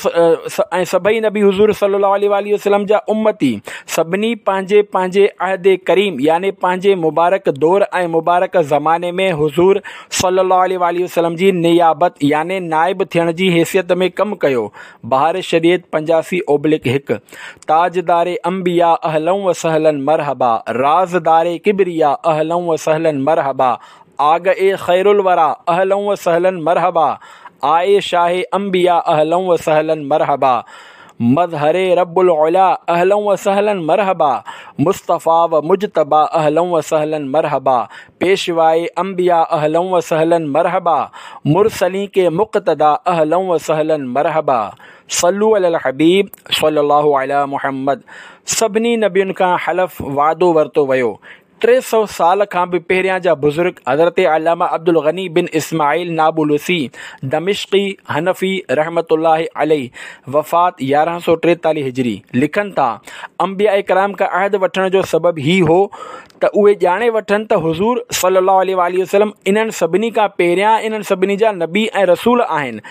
۽ سڀئي نبي حضور صلي الله عليه واٰله وسلم جا امتي سڀني پنهنجي پنهنجي عهد ڪريم يعني پنهنجي مبارڪ دور ۽ مبارڪ زماني ۾ حضور صلي الله عليه واٰله وسلم جي نيابت يعني نائب ٿيڻ جي حيثيت ۾ ڪم ڪيو. بهار شريعت پنجاسي اوبلڪ هڪ. تاجدار انبياء اهلا و سهلا مرحبا، رازدار ڪبريا اهلا و سهلا مرحبا، آگ اي خير الورا اهلا و سهلا مرحبا، آئي شاهه انبياء اهلا و سهلا مرحبا، مظهر رب العلا اهلا و سهلا مرحبا، مصطفيٰ و مجتبيٰ اهلا و سهلا مرحبا، پيشوائي انبياء اهلا و سهلا مرحبا، مرسلين ڪي مقتدا اهلا و سهلا مرحبا. صلو علي الحبيب صلي الله علي محمد. سڀني نبين کان حلف وعدو ورتو ويو. ٽي سؤ سال کان به پهريان جا بزرگ حضرت علامه عبدالغني بن اسماعيل نابلسي دمشقي حنفي رحمة الله عليه، وفات يارهن سؤ ٽيتاليهه هجري، لکن ٿا، انبياء ڪرام کان عهد وٺڻ جو سبب هي هو ته اهي ڄاڻي وٺن ته حضور صلي الله عليه واٰله وسلم انهن سڀني کان پهريان انهن سڀني جا نبي ۽ رسول آهن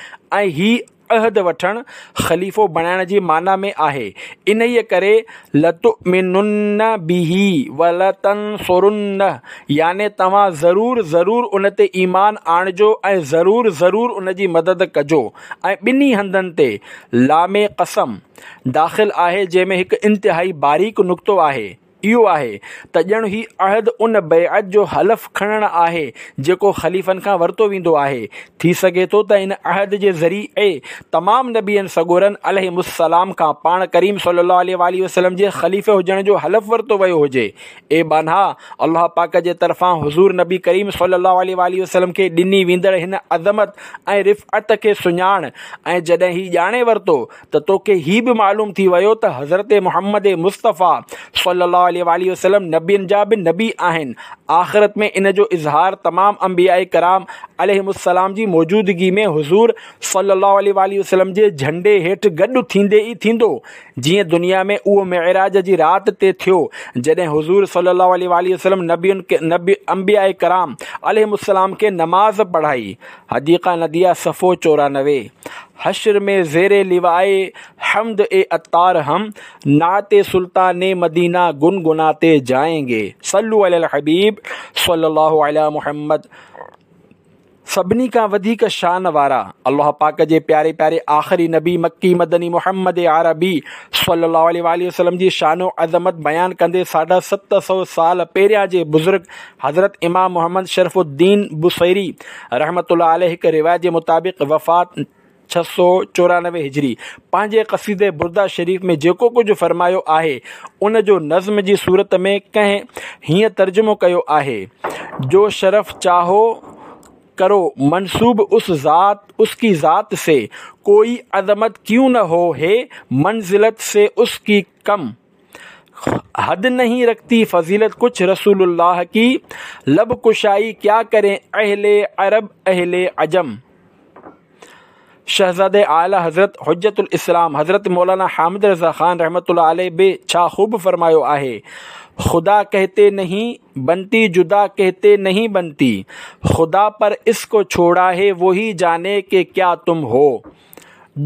۽ هي عهد وٺڻ خليفو بڻائڻ جي معنيٰ ۾ آهي، انهيء ڪري لتؤمنن به ولتنصرنه يعني توهان ضرور ضرور ان تي ايمان آڻجو ۽ ضرور ضرور ان جي مدد ڪجو ۽ ٻنهي هنڌن تي لام قسم داخل آهي جنهن ۾ هڪ انتهائي باريڪ نڪتو آهي. اهو آهي ته ڄڻ هي عهد ان بيعت جو حلف کڻڻ آهي جيڪو خليفن کان ورتو ويندو آهي. ٿي سگهي ٿو ته ان عهد جي ذريعي تمام نبين سڳورن عليهم السلام کان پاڻ ڪريم صلي الله عليه واٰله وسلم جي خليفي هجڻ جو حلف ورتو ويو هجي. اي ٻانها! الله پاڪ جي طرفان حضور نبي ڪريم صلي الله عليه واٰله وسلم کي ڏني ويندڙ هن عظمت ۽ رفعت کي سڃاڻ ۽ جڏهن هي ڄاڻي ورتو ته توکي هي به معلوم ٿي ويو ته حضرت محمد مصطفيٰ صلي الله عليه واٰله وسلم نبين جا به نبي آهن. آخرت ۾ ان جو اظهار تمام انبياء ڪرام عليهم السلام جي موجودگي ۾ حضور صلي الله عليه واٰله وسلم جي جهنڊي هيٺ گڏ ٿيندي ئي ٿيندو، جيئن دنيا ۾ اهو معراج جي رات تي ٿيو، جڏهن حضور صلي الله عليه واٰله وسلم نبين انبياء ڪرام عليهم السلام کي نماز پڙهائي. حديقه نديه صفحو چورانوي. حشر ۾ زير لواء حمد اي عطار هم نعت سلطان مدينه گنگناتي جائين گي. صلو علي الحبيب صلي الله علي محمد. سڀني کان وڌيڪ شان وارا الله پاڪ جي پياري پياري آخري نبي مڪي مدني محمد عربي صلي الله عليه واٰله وسلم جي شان و عظمت بيان ڪندي ساڍا ست سؤ سال پهريان جي بزرگ حضرت امام محمد شرف الدين بصيري رحمة الله عليه هڪ روايت جي مطابق وفات ڇهه سؤ چورانوي هجري پنهنجي قصيده برده شريف ۾ جيڪو ڪجهه فرمايو آهي ان جو نظم جي صورت ۾ ڪنهن هيئن ترجمو ڪيو آهي، جو شرف چاهو ڪرو منسوب اس ذات اس ڪي ذات سي، ڪوئي عظمت ڪيون نه هو هي منزلت سي اس ڪي ڪم. حد نهين رکتي فضيلت ڪڇ رسول الله ڪي، لب ڪشائي ڪيا ڪرين اهل عرب اهل عجم. شهزاده اعليٰ حضرت حجت الاسلام حضرت مولانا حامد رضا خان رحمة الله عليه به ڇا خوب فرمايو آهي، خدا ڪهتي نهين بنتي جدا ڪهتي نهين بنتي، خدا پر اس ڪو ڇوڙا هي وهي جاني ڪي ڪيا تم هو.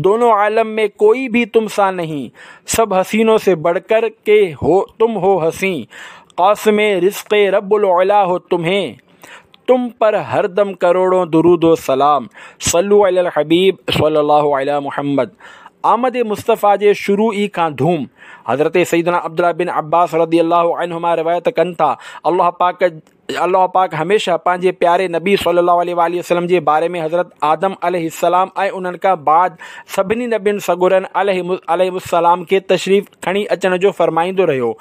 دونون عالم ۾ ڪوئي ڀي تم سا نهين، سب حسينون سي بڙه ڪر ڪي هو تم هو حسين، قاسم رزق رب العليٰ هو تمهين، تم پر هر دم ڪروڙون درود و سلام، صلو علي الحبيب صلي الله علي محمد. آمد مصطفيٰ جي شروع ئي کان ڌوم. حضرت سيدنا عبدالله بن عباس رضي الله عنهما روايت ڪن ٿا، الله پاڪ الله پاڪ هميشه پنهنجي پياري نبي صلي الله عليه وآله وسلم جي باري ۾ حضرت آدم عليه السلام ۽ انهن کان بعد سڀني نبين سڳورن عليهم السلام کي تشريف کڻي اچڻ جو فرمائيندو رهيو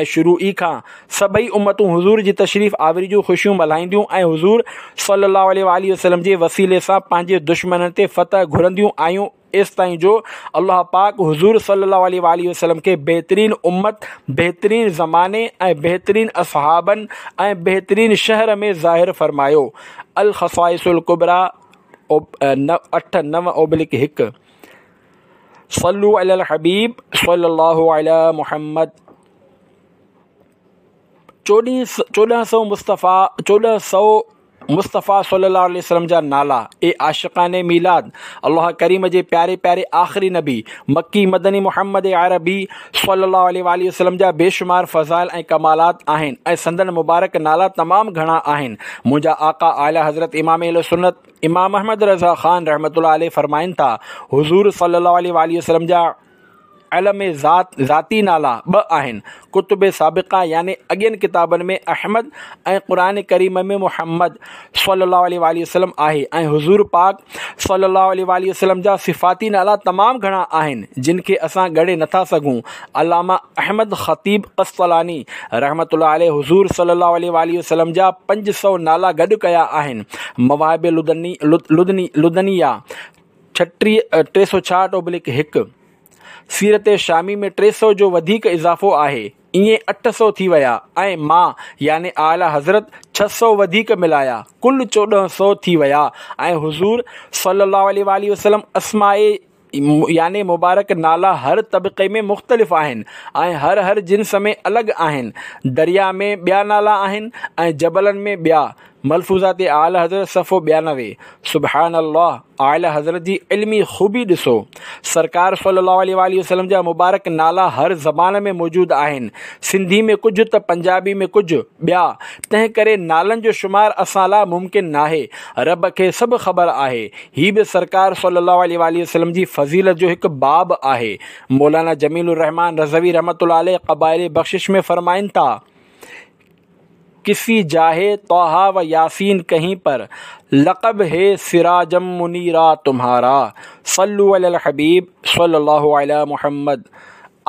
۽ شروع ئي کان سڀئي امتون حضور جي تشريف آوري جون خوشيون ملهائينديون ۽ حضور صلي الله عليه وآله وسلم جي وسيلي سان پنهنجي دشمنن تي فتح گهرنديون آيون، ايستائين جو الله پاڪ حضور صلي الله عليه وآله وسلم کي بهترين امت، بهترين زماني ۽ بهترين اصحابن ۽ بهترين شهر ۾ ظاهر فرمايو. الخصائص الڪبريٰ اٺ نو اوبلڪ هڪ. صلو علی الحبيب صلي الله علي محمد. چوڏهن سؤ مصطفيٰ چوڏهن سؤ مصطفيٰ صلي الله عليه وسلم جا نالا. اي عاشقان ميلاد، الله ڪريم جي پياري پياري آخري نبي مڪي مدني محمد عربي صلي الله عليه وآله وسلم جا بيشمار فضائل ۽ ڪمالات آهن ۽ سندن مبارڪ نالا تمام گهڻا آهن. منهنجا آقا اعليٰ حضرت امام اهل سنت امام احمد رضا خان رحمة الله عليه فرمائن ٿا، حضور صلي الله عليه وآله وسلم جا علم ذات ذاتي نالا ٻه آهن، ڪتب سابقه يعني اڳين ڪتابن ۾ احمد ۽ قرآن ڪريم ۾ محمد صلي الله عليه وآله وسلم آهي ۽ حضور پاڪ صلي الله عليه وآله وسلم جا صفاتي نالا تمام گهڻا آهن جن کي اسان ڳڻي نٿا سگهون. علامه احمد خطيب قسطلاني رحمة الله عليه حضور صلي الله عليه وآله وسلم جا پنج سؤ نالا گڏ ڪيا آهن. مواهب لدني لدني لدنيه ڇٽيهه ٽي سؤ ڇاهٺ اوبلڪ هڪ، سيرت شامي ۾ ٽي سؤ جو وڌيڪ اضافو آهي، ائين اٺ سؤ ٿي ويا ۽ مان يعني اعليٰ حضرت ڇهه سؤ وڌيڪ ملايا، ڪل چوڏهن سؤ ٿي ويا ۽ حضور صلي الله عليه وآله وسلم اسماء يعني مبارڪ نالا هر طبقي ۾ مختلف آهن ۽ هر هر جنس ۾ الڳ آهن، درياء ۾ ٻيا نالا آهن ۽ جبلن ۾ ٻيا. ملفوظات اعليٰ حضرت صفحو ٻيانوي. سبحان الله! اعليٰ حضرت جي علمي خوبي ڏسو. سرڪار صلي الله عليه واٰله وسلم جا مبارڪ نالا هر زبان ۾ موجود آهن. سنڌي ۾ ڪجهه ته پنجابي ۾ ڪجهه ٻيا. تنهن ڪري نالن جو شمار اسان لاء ممڪن ناهي. رب کي سڀ خبر آهي. هي به سرڪار صلي الله عليه واٰله وسلم جي فضيلت جو هڪ باب آهي. مولانا جميل الرحمان رضوي رحمة الله عليه قبائل بخشش ۾ فرمائن ٿا. ڪسي جاهي طه و ياسين ڪهين پر، لقب هي سراجم منيرا تمهارا، صلو علي الحبيب صلي الله علي محمد.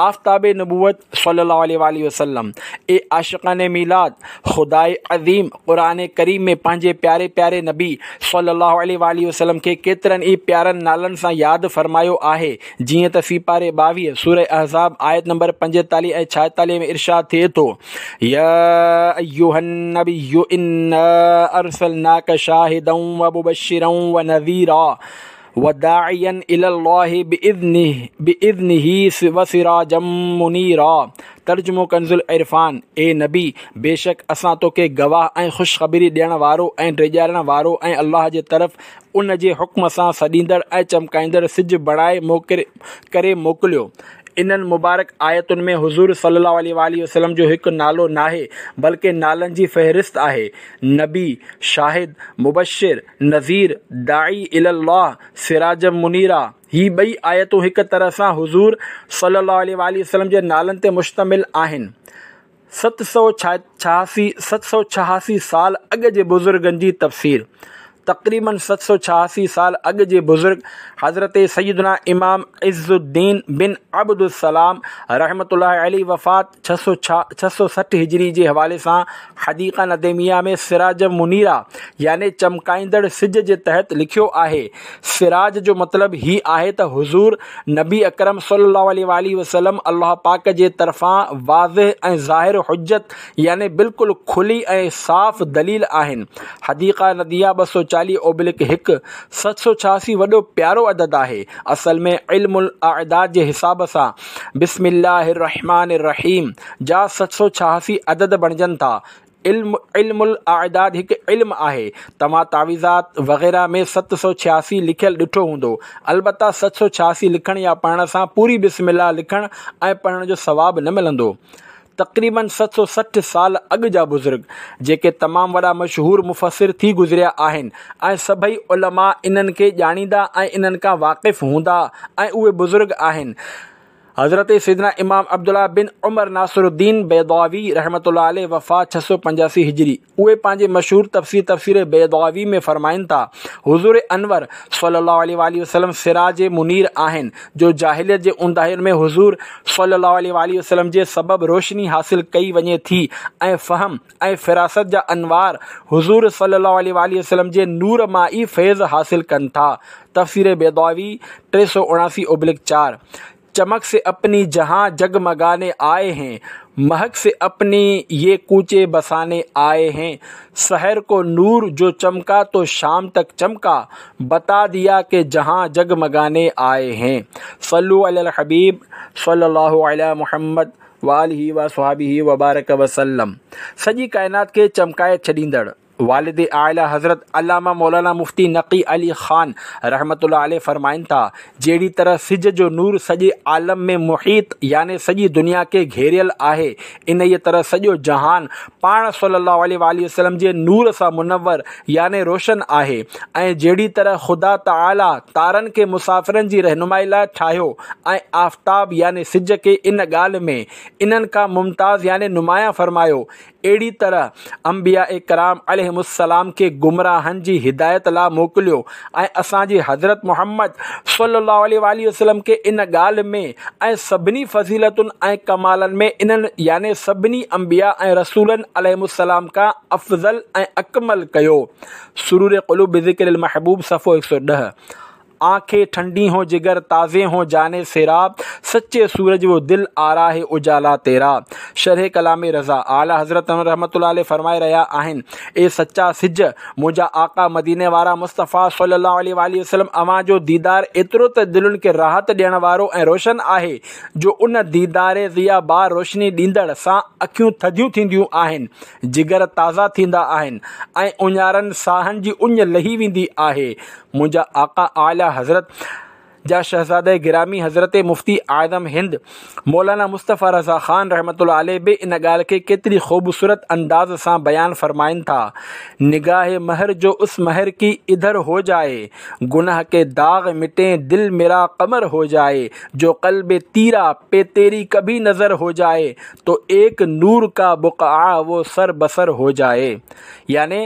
آفتاب نبوت صلي الله عليه واٰله وسلم. اي عاشقان ميلاد، خداء عظيم قرآن ڪريم ۾ پنهنجي پياري پياري نبي صلي الله عليه واٰله وسلم کي ڪيترن ئي پيارن نالن سان ياد فرمايو آهي، جيئن ته سيپاري ٻاويهه سوره احزاب آيت نمبر پنجيتاليهه ۽ ڇائيتاليهه ۾ ارشاد ٿئي ٿو، يا ايها النبي انا ارسلناک شاهدا ومبشرا ونذيرا وداعيا الي الله باذنه باذنه وسراجا منيرا ترجمو ڪنز العرفان، اي نبي! بيشڪ اسان توکي گواهه ۽ خوشخبري ڏيڻ وارو ۽ ڊيڄارڻ وارو ۽ الله جي طرف ان جي حڪم سان سڏيندڙ ۽ چمڪائيندڙ سج بڻائي ڪري موڪليو. انهن مبارڪ آيتن ۾ حضور صلي الله عليه واٰله وسلم جو هڪ نالو ناهي بلڪه نالن جي فهرست آهي، نبي، شاهد، مبشر، نذير، داعي الي الله، سراجا منيرا. هي ٻئي آيتون هڪ طرح سان حضور صلي الله عليه واٰله وسلم جي نالن تي مشتمل آهن. ست سؤ ڇهاسي ست سؤ ڇهاسي سال اڳ جي بزرگن جي تفسير تقريباً ست سؤ ڇهاسي سال اڳ جي بزرگ حضرت سيدنا امام عز الدين بن عبد السلام رحمة الله عليه وفات ڇهه سؤ ڇهه سؤ سٺ هجري جي حوالي سان حديقه نديميه ۾ سراج منيرا يعني چمڪائيندڙ سج جي تحت لکيو آهي سراج جو مطلب هي آهي ته حضور نبي اڪرم صلي الله عليه واٰله وسلم الله پاڪ جي طرفان واضح ۽ ظاهر حجت يعني بلڪل کلي ۽ صاف دليل آهن. حديقه نديميه ٻه سؤ چاليهه اوبلڪ هڪ، ست سؤ ڇهاسي وڏو پيارو عدد آهي. اصل ۾ علم الاعداد جي حساب سان بسم الله الرحمٰن الرحيم جا ست سؤ ڇهاسي عدد بڻجن ٿا. علم علم الاعداد هڪ علم آهي. توهان تعويذات وغيره ۾ ست سؤ ڇهاسي لکيل ڏٺو هوندو. البته ست سؤ ڇهاسي لکڻ يا پڙهڻ سان پوري بسم الله لکڻ ۽ پڙهڻ جو ثواب نه ملندو. تقريباً ست سؤ سٺ سال اڳ جا بزرگ، جيڪي تمام وڏا مشهور مفسر ٿي گذريا آهن ۽ سڀئي علماء انهن کي ڄاڻيندا ۽ انهن کان واقف هوندا ۽ اهي بزرگ آهن. حضرت سيدنا امام عبدالله بن عمر ناصر الدين بيضاوي رحمة الله عليه، وفات ڇهه سؤ پنجاسي هجري، اهي پنهنجي مشهور تفسير تفسير بيضاوي ۾ فرمائن ٿا، حضور انور صلي الله عليه واٰله وسلم سراج منير آهن، جو جاهليت جي اونداهين ۾ حضور صلي الله عليه واٰله وسلم جي سبب روشني حاصل ڪئي وڃي ٿي ۽ فهم ۽ فراست جا انوار حضور صلي الله عليه واٰله وسلم جي نور مان ئي فيض حاصل ڪن ٿا. تفسير بيضاوي ٽي سؤ اڻاسي اوبلڪ چار. چمڪ سي اپني جهان جگمگاني آئي هين، مهڪ سي اپني يه ڪوچي بساني آئي هين، سحر ڪو نور جو چمڪا تو شام تڪ چمڪا، بتا ديا ڪه جهان جگمگاني آئي هين. صلو علي الحبيب صلي الله علي محمد وآله وصحبه وبارڪ وسلم. سڄي ڪائنات کي چمڪائي ڇڏيندڙ والد اعليٰ حضرت علامه مولانا مفتي نقي علي خان رحمة الله عليه فرمائن ٿا، جهڙي طرح سج جو نور سڄي عالم ۾ محيط يعني سڄي دنيا کي گهيريل آهي، انهيء طرح سڄو جهان پاڻ صلّي الله عليه واٰله وسلّم جي نور سان منور يعني روشن آهي ۽ جهڙي طرح خدا تعاليٰ تارن کي مسافرن جي رهنمائي لاء ٺاهيو ۽ آفتاب يعني سج کي ان ڳالهه ۾ انهن کان ممتاز يعني نمايان فرمايو، اهڙي طرح انبياء ڪرام عليهم السلام کي گمراهن جي هدايت لاء موڪليو ۽ اسان جي حضرت محمد صلي الله عليه واٰله وسلم کي ان ڳالهه ۾ ۽ سڀني فضيلتن ۽ ڪمالن ۾ انهن يعني سڀني انبياء ۽ رسولن عليهم السلام کان افضل ۽ اڪمل ڪيو. سرور قلوب بذڪر المحبوب صفحو هڪ سؤ ڏهه. آنکين ٺنڊي هون جگر تازي هون جاني سيراب، سچي سورج وو دل آرا هي اجالا تيرا. شرح ڪلام رضا، اعليٰ حضرت رحمة الله عليه فرمائي رهيا آهن، اي سچا سج، منهنجا آقا مديني وارا مصطفيٰ صلي الله عليه واٰله وسلم اوهان جو ديدار ايترو ته دلين کي راحت ڏيڻ وارو ۽ روشن آهي جو ان ديدار ضياء بار روشني ڏيندڙ سان اکيون ٿڌيون ٿينديون آهن، جگر تازا ٿيندا آهن ۽ اڃارن ساهن جي اڃ لهي ويندي آهي. منهنجا آقا اعليٰ حضرت جا شهزاده گرامي حضرت مفتي اعظم هند مولانا مصطفيٰ رضا خان رحمة الله عليه به ان ڳالهه کي ڪيتري خوبصورت انداز سان بيان فرمائن ٿا، نگاه مهر جو اس مهر ڪي ادهر هو جائي، گناه ڪي داغ مٽين دل ميرا قمر هو جائي، جو قلب تيره پي تيري ڪڀي نظر هو جائي، تو ايڪ نور ڪا بقعه وو سر بسر هو جائي. يعني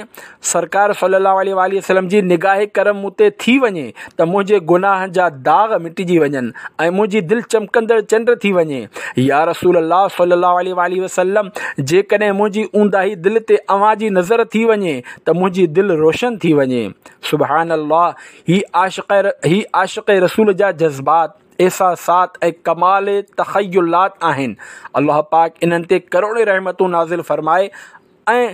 سرڪار صلّي اللّٰه عليه واٰله وسلّم جي نگاهه ڪرم مون تي ٿي وڃي ته منهنجي گناهن جا داغ مٽجي وڃن ۽ منهنجي دل چمڪندڙ چنڊ ٿي وڃي. يا رسول الله صلّي اللّٰه عليه واٰله وسلّم! جيڪڏهن منهنجي اونداهي دل تي اوهان جي نظر ٿي وڃي ته منهنجي دل روشن ٿي وڃي. سبحان الله! هي عاشق هي عاشق رسول جا جذبات، احساسات ۽ ڪمال تخيلات آهن. الله پاڪ انهن تي ڪروڙين رحمتون نازل فرمائي ۽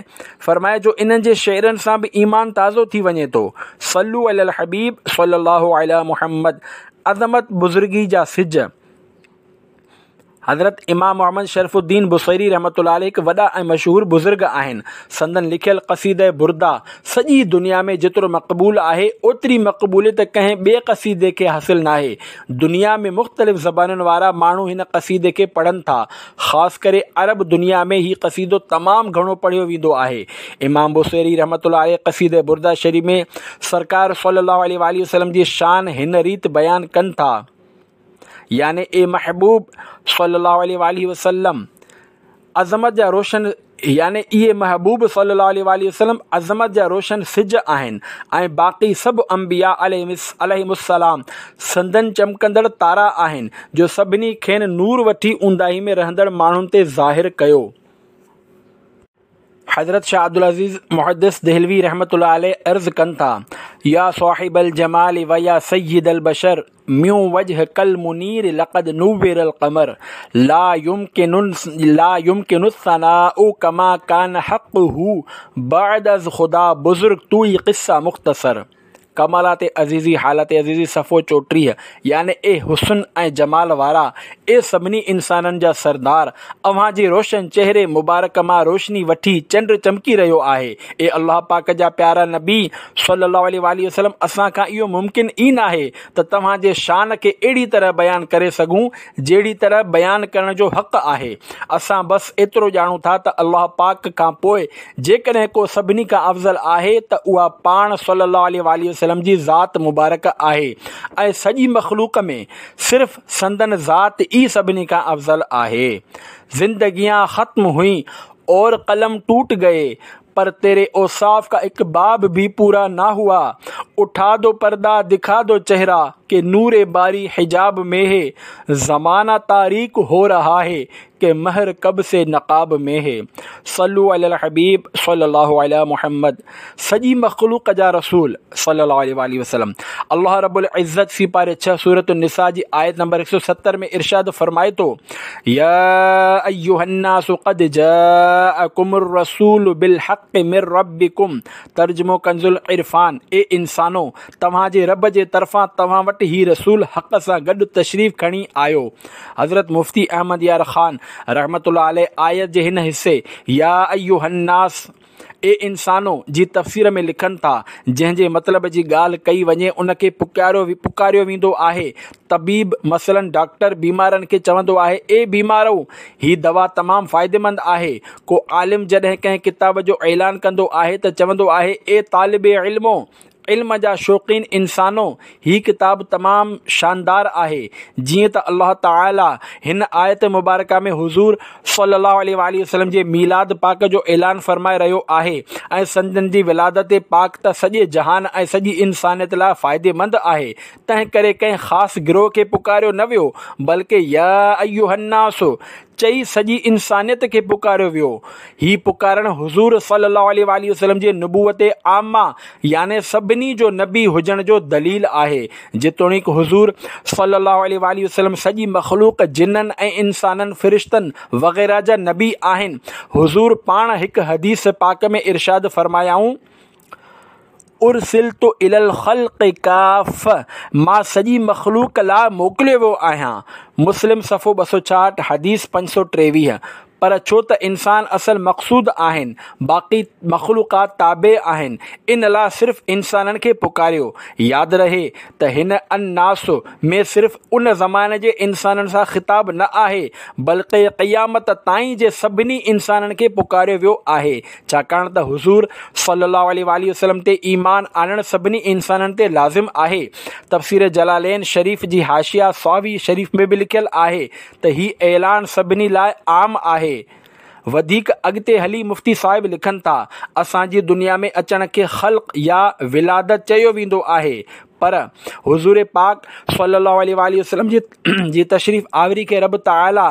فرمائي جو انهن جي شعرن سان به ايمان تازو ٿي وڃي ٿو. صلو علی الحبيب صلي الله علي محمد عظمت بزرگي جا سج حضرت امام محمد شرف الدين بصيري رحمة الله عليه هڪ وڏا ۽ مشهور بزرگ آهن. سندن لکيل قصيده برده سڄي دنيا ۾ جيترو مقبول آهي، اوتري مقبوليت ڪنهن ٻئي قصيدي کي حاصل ناهي. دنيا ۾ مختلف زبانن وارا ماڻهو هن قصيدي کي پڙهن ٿا. خاص ڪري عرب دنيا ۾ هي قصيدو تمام گهڻو پڙهيو ويندو آهي. امام بوصيري رحمة الله عليه قصيده برده شريف ۾ سرڪار صلي الله عليه واٰله وسلم جي شان هن ريت بيان ڪن ٿا، يعني اي محبوب صلي الله عليه واٰله وسلم! عظمت جا روشن يعني اهي محبوب صلي الله عليه واٰله وسلم عظمت جا روشن سج آهن ۽ باقي سڀ انبياء عليهم السلام سندن چمڪندڙ تارا آهن جو سڀني کين نور وٺي اونداهي ۾ رهندڙ ماڻهن تي ظاهر ڪيو. حضرت شاهه عبدالعزيز محدث دهلوي رحمة الله عليه عرض ڪن ٿا، يا صاحب الجمال ويا سيد البشر من وجهک المنير لقد نور القمر لا يمڪن لا يمڪن الثناء ڪما ڪان حقه بعد از خدا بزرگ توئي قصه مختصر. ڪمالات عزيزي حالات عزيزي صفحو چوٽيهه. يعني اي حسن ۽ جمال وارا، اي سڀني انسانن جا سردار، اوهان جي روشن چهري مبارڪ مان روشني وٺي چنڊ چمڪي رهيو آهي. اي الله پاڪ جا پيارا نبي صلي الله عليه واٰله وسلم، اسان کان اهو ممڪن ئي ناهي ته توهان جي شان کي اهڙي طرح بيان ڪري سگهون جهڙي طرح بيان ڪرڻ جو حق آهي. اسان بس ايترو ڄاڻون ٿا ته الله پاڪ کان پوء جيڪڏهن ڪو سڀني کان افضل آهي ته اها پاڻ صلي الله عليه واٰله وسلم جي ذات مبارڪ آهي ۽ سڄي مخلوق ۾ صرف سندن ذات ئي سڀني کان افضل آهي. زندگيان ختم هئي اور قلم ٽوٽ گئي پر تيري اوصاف کا اڪ باب ڀي پورا نه هوا، اٺا دو پرده دکا دو چهرا ڪه نور باري حجاب ۾ هي، زمانه تاريڪ هو رها هي ڪه مهر ڪب سي نقاب ۾ هي. صلو علي الحبيب صلي الله علي محمد. سڄي مخلوق جا رسول صلي الله عليه واٰله وسلم. الله رب العزت سيپاري ڇهه سورة النساء جي آيت نمبر هڪ سؤ ستر ۾ ارشاد فرمائي ٿو، يا ايها الناس قد جاءڪم الرسول بالحق من ربڪم. ترجمو ڪنز العرفان، اي انسانو! توهان جي رب جي طرفان توهان وٽ هي رسول حق سان گڏ تشريف کڻي آيو. حضرت مفتي احمد يار خان رحمة الله عليه آيت جي هن حصي يا ايها الناس، اي انسانو، جي تفسير ۾ لکن ٿا، جنهن جي مطلب جي ڳالهه ڪئي وڃي ان کي پڪاريو ويندو آهي. طبيب مثلاً ڊاڪٽر بيمارن کي چوندو آهي، اي بيمارؤ! هي دوا تمام فائديمند آهي. ڪو عالم جڏهن ڪنهن ڪتاب جو اعلان ڪندو آهي ته چوندو آهي، اي طالب علمو! علم جا شوقين انسانو! هي ڪتاب تمام شاندار آهي. جيئن ته الله تعالي هن آيت مبارڪه ۾ حضور صلي الله عليه واٰله وسلم جي ميلاد پاڪ جو اعلان فرمائي رهيو آهي ۽ سندن جي ولادت پاڪ ته سڄي جهان ۽ سڄي انسانيت لاء فائديمند آهي، تنهن ڪري ڪنهن خاص گروهه کي پڪاريو نه ويو، بلڪه يا ايها الناس چئي سڄي انسانيت کي پڪاريو ويو. هي پڪارڻ حضور صلي الله عليه واٰله وسلم جي نبوت عامه يعني سڀني جو نبي هجڻ جو دليل آهي. جيتوڻيڪ حضور صلي الله عليه واٰله وسلم سڄي مخلوق جنن ۽ انسانن، فرشتن وغيره جا نبي آهن. حضور پاڻ هڪ حديث پاڪ ۾ ارشاد فرمايائون، ارسلت الي الخلق ڪافة، مان سڄي مخلوق لاء موڪليو ويو آهيان. مسلم صفحو ٻه سؤ ڇاهٺ، حديث پنج سؤ ٽيويهه. پر ڇو ته انسان اصل مقصود آهن، باقي مخلوقات تابع آهن، ان لاء صرف انسانن کي پڪاريو. ياد رهي ته هن الناس ۾ صرف ان زماني جي انسانن سان خطاب نه آهي، بلڪه قيامت تائين جي سڀني انسانن کي پڪاريو ويو آهي. ڇاڪاڻ ته حضور صلي الله عليه واٰله وسلم تي ايمان آڻڻ سڀني انسانن تي لازم آهي. تفسير جلالين شريف جي حاشيه صاوي شريف ۾ به لکيل آهي ته هي اعلان سڀني لاء عام آهي. وڌيڪ اڳتي هلي مفتي صاحب لکن ٿا، اسان جي دنيا ۾ اچڻ کي خلق يا ولادت چيو ويندو آهي پر حضور پاڪ صلي الله عليه واٰله وسلم جي تشريف آوري کي رب تعاليٰ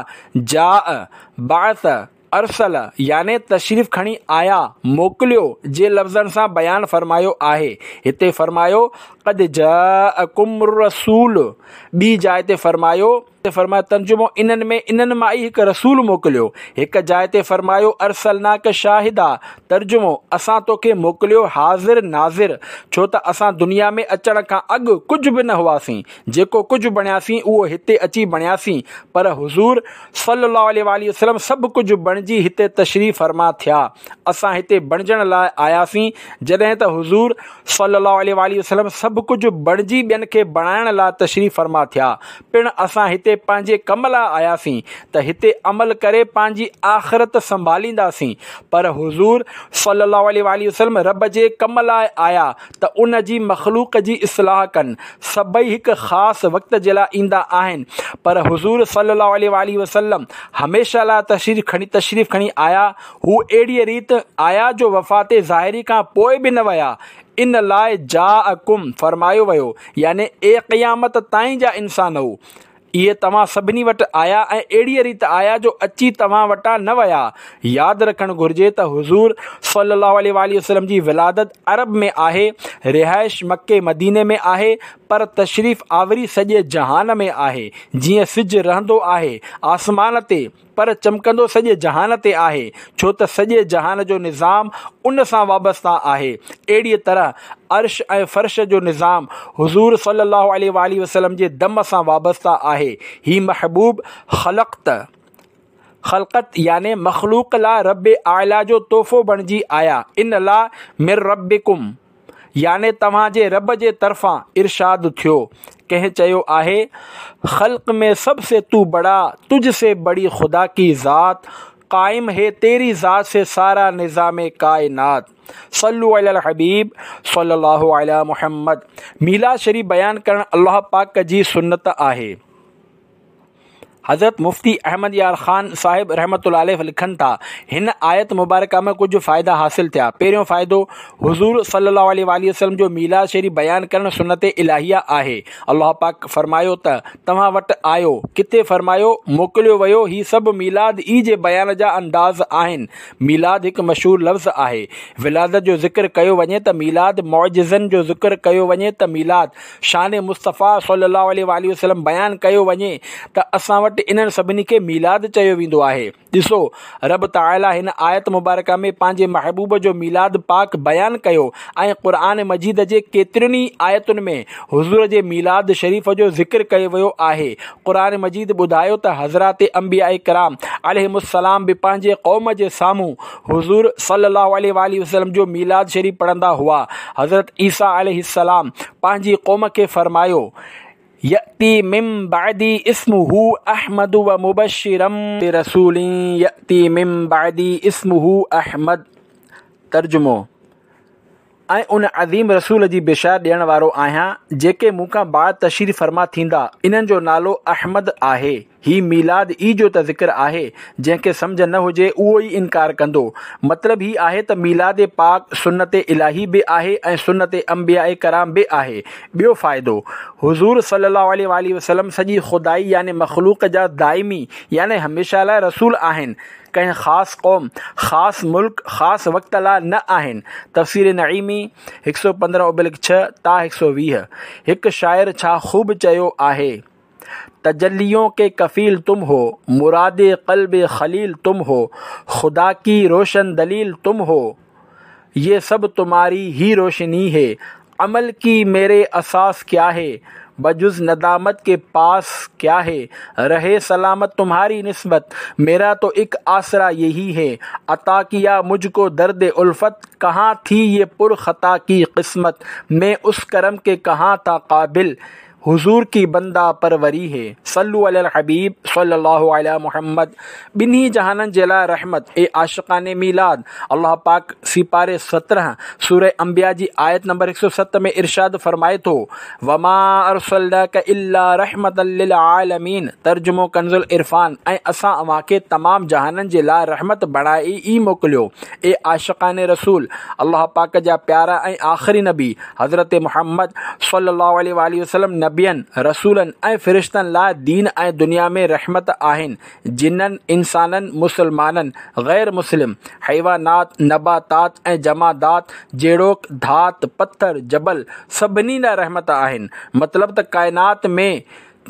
جاء، بعث، ارسل يعني تشريف کڻي آيا، موڪليو، جي لفظن سان بيان فرمايو آهي. هتي فرمايو، قد جاءڪم الرسول، ٻي جاء تي فرمايو، فرمايو، ترجمو، انهن ۾ انهن مان ئي هڪ رسول موڪليو. هڪ جاء تي فرمايو، ارسلناڪ شاهدا، ترجمو، اسان توکي موڪليو حاضر ناظر، ڇو ته اسان دنيا ۾ اچڻ کان اڳ ڪجهه به نه هئاسين، جيڪو ڪجهه بڻياسين اهو هتي اچي بڻياسين، پر حضور صلّي الله عليه واٰله وسلّم سڀ ڪجهه بڻجي هتي تشريف فرما ٿيا. اسان هتي بڻجڻ لاء آياسين، جڏهن ته حضور صلّي الله عليه واٰله وسلّم سڀ ڪجهه بڻجي ٻين کي بڻائڻ لاء تشريف فرما ٿيا. پڻ اسان هتي پنهنجي ڪم لاء آياسين ته هتي عمل ڪري پنهنجي آخرت سنڀالينداسين، پر حضور صلّي الله عليه واٰله وسلّم رب جي ڪم لاء آيا ته ان جي مخلوق جي اصلاح ڪن. سڀئي هڪ خاص وقت جي لاء ايندا آهن، پر حضور صلي الله عليه واٰله وسلم هميشه لاء تشريف کڻي تشريف کڻي آيا. هو اهڙيء ريت آيا جو وفات ظاهري کان پوء به نه ويا. ان لاء جاءڪم فرمايو ويو، يعني اي قيامت تائين جا انسانؤ! اهي توهان سڀني وٽ آيا ۽ اهڙيء ريت آيا جو اچي توهان وٽان نه ويا. ياد رکڻ گهرجي ته حضور صلي الله عليه واٰله وسلم جي ولادت عرب ۾ آهي، رهائش مڪي مديني ۾ آهي، پر تشريف آوري سڄي جهان ۾ آهي، جيئن سج رهندو آهي آسمان تي، پر چمڪندو سڄي جهان تي آهي، ڇو ته سڄي جهان جو نظام ان سان وابسته آهي. اهڙيء طرح عرش ۽ فرش جو نظام حضور صلي الله عليه وآله وسلم جي دم سان وابسته آهي. هي محبوب خلقت خلقت يعني مخلوق لاء رب اعليٰ جو تحفو بڻجي آيا. ان لاء من ربڪم يعني توهان جي رب جي طرفان ارشاد ٿيو. ڪنهن چيو آهي، خلق ۾ سب سي تو بڙا، تجھ سي بڙي خدا ڪي ذات، قائم هي تيري ذات سي سارا نظام ڪائنات. صلو علی الحبيب صلي الله علي محمد. ميلاد شريف بيان ڪرڻ الله پاڪ جي سنت آهي. حضرت مفتي احمد يار خان صاحب رحمة الله عليه لکن ٿا، هن آيت مبارڪه مان ڪجهه فائدا حاصل ٿيا. پهريون فائدو، حضور صلي الله عليه وآله وسلم جو ميلاد شريف بيان ڪرڻ سنت الاهيه آهي. الله پاڪ فرمايو ته توهان وٽ آيو، ڪٿي فرمايو موڪليو ويو، هي سڀ ميلاد ئي جي بيان جا انداز آهن. ميلاد هڪ مشهور لفظ آهي. ولادت جو ذڪر ڪيو وڃي ته ميلاد، معجزن جو ذڪر ڪيو وڃي ته ميلاد، شان مصطفيٰ صلي الله عليه وآله وسلم بيان ڪيو وڃي ته اسان وٽ انهن سڀني کي ميلاد چيو ويندو آهي. ڏسو رب تعاليٰ هن آيت مبارڪه ۾ پنهنجي محبوب جو ميلاد پاڪ بيان ڪيو ۽ قرآن مجيد جي ڪيترين ئي آيتن ۾ حضور جي ميلاد شريف جو ذڪر ڪيو ويو آهي. قرآن مجيد ٻڌايو ته حضرات انبياء ڪرام عليهم السلام به پنهنجي قوم جي سامهون حضور صلي الله عليه وآله وسلم جو ميلاد شريف پڙهندا هئا. حضرت عيسيٰ عليه السلام پنهنجي قوم کي فرمايو، يأتي من بعدي اسمه احمد ومبشرا برسول يأتي من بعدي اسمه احمد. ترجمو، ۽ ان عظيم رسول جي بشارت ڏيڻ وارو آهيان جيڪي مون کان بعد تشريف فرما ٿيندا، انهن جو نالو احمد آهي. هي ميلاد ئي جو ته ذڪر آهي، جنهن کي سمجهه نه هجي اهو ئي انڪار ڪندو. مطلب هي آهي ته ميلاد پاڪ سنت الاهي به آهي ۽ سنت انبياء ڪرام به آهي. ٻيو فائدو، حضور صلي الله عليه واٰله وسلم سڄي خدائي يعني مخلوق جا دائمي يعني هميشه لاء رسول آهن. ڪنهن خاص قوم، خاص ملڪ، خاص وقت لاء نه آهن. تفسير نعيمي، هڪ سؤ پندرهن ابلڪ ڇهه تا هڪ سؤ ويهه. هڪ شاعر ڇا خوب چيو آهي، تجليون ڪي ڪفيل تم هو، مراد قلب خليل تم هو، خدا ڪي روشن دليل تم هو، يه سب تمهاري هي روشني هي، عمل ڪي ميري اساس ڪيا هي، بجز ندامت ڪي پاس ڪيا هي، رهي سلامت تمهاري نسبت، ميرا تو اڪ آسرا يهي هي، عطا ڪيا مجھ ڪو درد الفت، ڪهان ٿي يه پر خطا ڪي قسمت، مين اس ڪرم ڪي ڪهان ٿا قابل، حضور ڪي بنده پروري هي. صلو علي الحبيب صلي الله علي محمد. ٻنهي جهانن جي لاء رحمت، اي عاشقان ميلاد! الله پاڪ سيپاري سترهن سوره انبياء جي آيت نمبر هڪ سؤ ست ۾ ارشاد فرمائي ٿو، وما ارسلناک الا رحمة للعالمين ترجمو ڪنزالعرفان، ۽ اسان اوهان کي تمام جهانن جي لاء رحمت بڻائي ئي موڪليو. اي عاشقان رسول! الله پاڪ جا پيارا ۽ آخري نبي حضرت محمد صلي الله عليه واٰله وسلم نبين، رسولن ۽ فرشتن لاء دين ۽ دنيا ۾ رحمت آهن، جنن، انسانن، مسلمانن، غير مسلم، حيوانات، نباتات ۽ جمادات جهڙوڪ ڌات، پٿر، جبل سڀني لاء رحمت آهن. مطلب ته ڪائنات ۾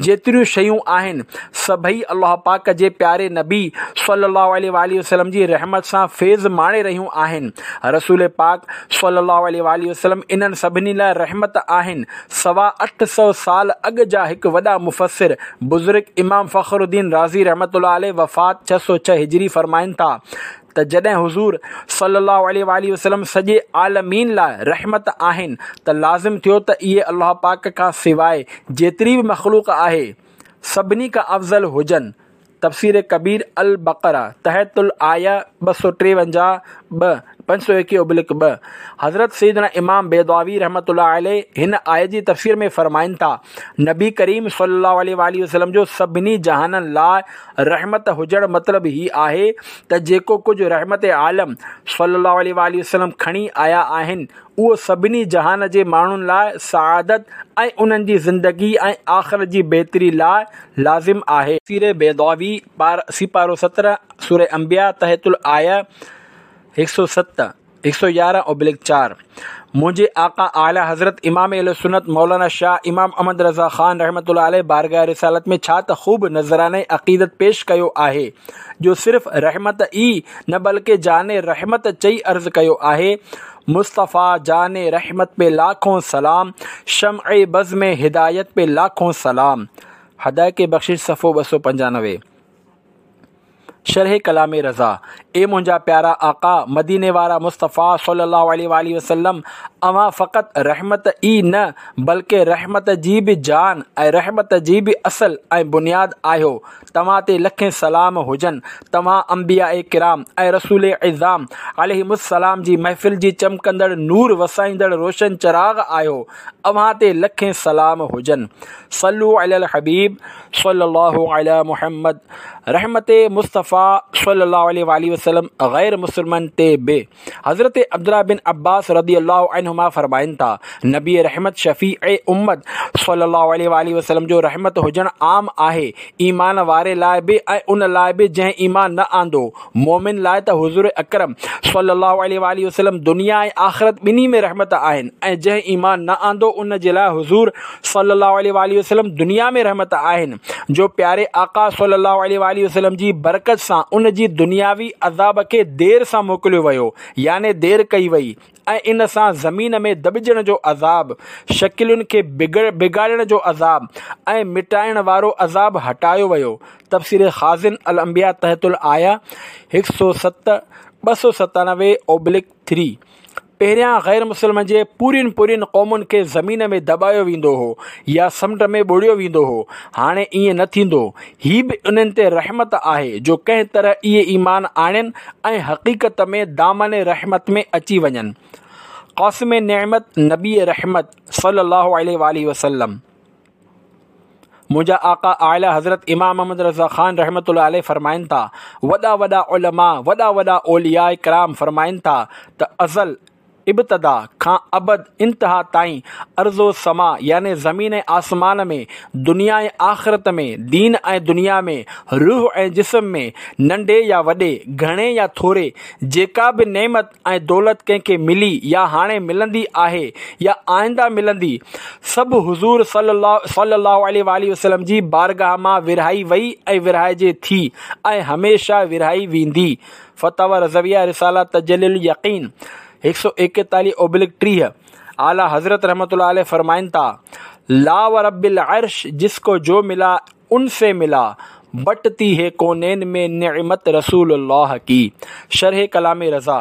جيتريون شيون آهن سڀئي الله پاڪ جي پياري نبي صلي الله عليه واٰله وسلم جي رحمت سان فيض ماڻي رهيون آهن. رسول پاڪ صلي الله عليه واٰله وسلم انهن سڀني لاء رحمت آهن. سوا اٺ سؤ سال اڳ جا هڪ وڏا مفسر بزرگ امام فخر الدين رازي رحمة الله عليه وفات ڇهه سؤ ڇهه هجري فرمائن ٿا ته جڏهن حضور صلي الله عليه واٰله وسلم سڄي عالمين لاء رحمت آهن ته لازم ٿيو ته اهي الله پاڪ کان سواء جيتري به مخلوق آهي سڀني کان افضل هجن تفسير ڪبير البقره تحت الايه ٻه سؤ ٽيونجاهه ٻه پنج سؤ ايڪيهه ابلڪ ٻه حضرت سيدنا امام بيضاوي رحمة الله عليه هن آيت جي تفسير ۾ فرمائن ٿا نبي ڪريم صلي الله عليه واٰله وسلم جو سڀني جهانن لاء رحمت هجڻ مطلب هي آهي ته جيڪو ڪجهه رحمت عالم صلي الله عليه واٰله وسلم کڻي آيا آهن اهو سڀني جهان جي ماڻهن لاء سعادت ۽ انهن جي زندگي ۽ آخرت جي بهتري لاء لازم آهي. تفسير بيضاوي سيپارو سترهن سوره انبياء تحت الايه هڪ سؤ ست، هڪ سؤ يارهن اوبليڪ چار، منهنجي آقا اعليٰ حضرت امام اهل سنت مولانا شاهه امام احمد رضا خان رحمة الله عليه بارگاهه رسالت ۾ ڇا ته خوب نذرانه عقيدت پيش ڪيو آهي، جو صرف رحمت ئي نه بلڪه جان رحمت چئي عرض ڪيو آهي، مصطفيٰ جان رحمت پي لاکون سلام، شمع بزم هدايت پي لاکون سلام. حدائق بخشش صفحو ٻه سؤ پنجانوي. شرح ڪلام رضا، اي منهنجا پيارا آقا، مديني وارا مصطفيٰ صلي الله عليه واٰله وسلم، اوهان فقط رحمت ئي نه بلڪه رحمت جي به جان ۽ رحمت جي به اصل ۽ بنياد آهيو، توهان تي لکين سلام هجن، توهان انبياء ڪرام ۽ رسول عظام عليهم السلام جي محفل جي چمڪندڙ نور وسائيندڙ روشن چراغ آهيو، اوهان تي لکين سلام هجن. صلو علي الحبيب صلي الله علي محمد. رحمت مصطفيٰ صلي الله عليه واٰله وسلم غير مسلمن تي به. حضرت عبدالله بن عباس رضي الله عنهما فرمائن ٿا، نبي رحمت شفيع امت صلي الله عليه واٰله وسلم جو رحمت هجڻ عام آهي، ايمان واري لاء به ۽ ان لاء به جنهن ايمان نه آندو. مؤمن لاء ته حضور اڪرم صلي الله عليه واٰله وسلم دنيا ۽ آخرت ٻنهي ۾ رحمت آهن ۽ جنهن ايمان نه آندو ان جي لاء حضور صلي الله عليه واٰله وسلم دنيا ۾ رحمت آهن، جو پياري آقا صلي الله عليه واٰله وسلم جي برڪت سان ان جي دنياوي عذاب کي دير سان موڪليو ويو، يعني دير ڪئي وئي، ۽ ان سان زمين ۾ دٻجڻ جو عذاب، شڪلين کي بگاڙڻ جو عذاب ۽ مٽائڻ وارو عذاب هٽايو ويو. تفسير خازن الانبياء تحت الايه هڪ سؤ ست، ٻه سؤ ستانوي اوبلڪ ٿري. پهريان غير مسلمن جي پورين پورين قومن کي زمين ۾ دٻايو ويندو هو يا سمنڊ ۾ ٻوڙيو ويندو هو، هاڻي ائين نه ٿيندو. هي به انهن تي رحمت آهي جو ڪنهن طرح اهي ايمان آڻين ۽ حقيقت ۾ دامن رحمت ۾ اچي وڃن. قاسم نعمت نبي رحمت صلي الله عليه واٰله وسلم. منهنجا آقا اعليٰ حضرت امام احمد رضا خان رحمة الله عليه فرمائن ٿا، وڏا وڏا علماء، وڏا وڏا اولياء ڪرام فرمائن ٿا ته ازل، ابتدا، کان ابد، انتها، تائين ارض و سما يعني زمين ۽ آسمان ۾، دنيا ۽ آخرت ۾، دين ۽ دنيا ۾، روح ۽ جسم ۾، ننڍي يا وڏي، گهڻي يا ٿوري، جيڪا به نعمت ۽ دولت ڪنهن کي ملي يا هاڻي ملندي آهي يا آئنده ملندي، سڀ حضور صلي الله عليه واٰله وسلم جي بارگاهه مان ورهائي وئي ۽ ورهائجي ٿي ۽ هميشه ورهائي ويندي. فتاويٰ رضويه رساله تجلي اليقين هڪ سؤ ايڪيتاليهه اوبلڪ ٽيهه، اعليٰ حضرت رحمة الله عليه فرمائن ٿا، لا ورب العرش جس کو جو ملا ان سي ملا، بٽتي هي ڪونين ۾ نعمت رسول الله ڪي. شرح ڪلام رضا،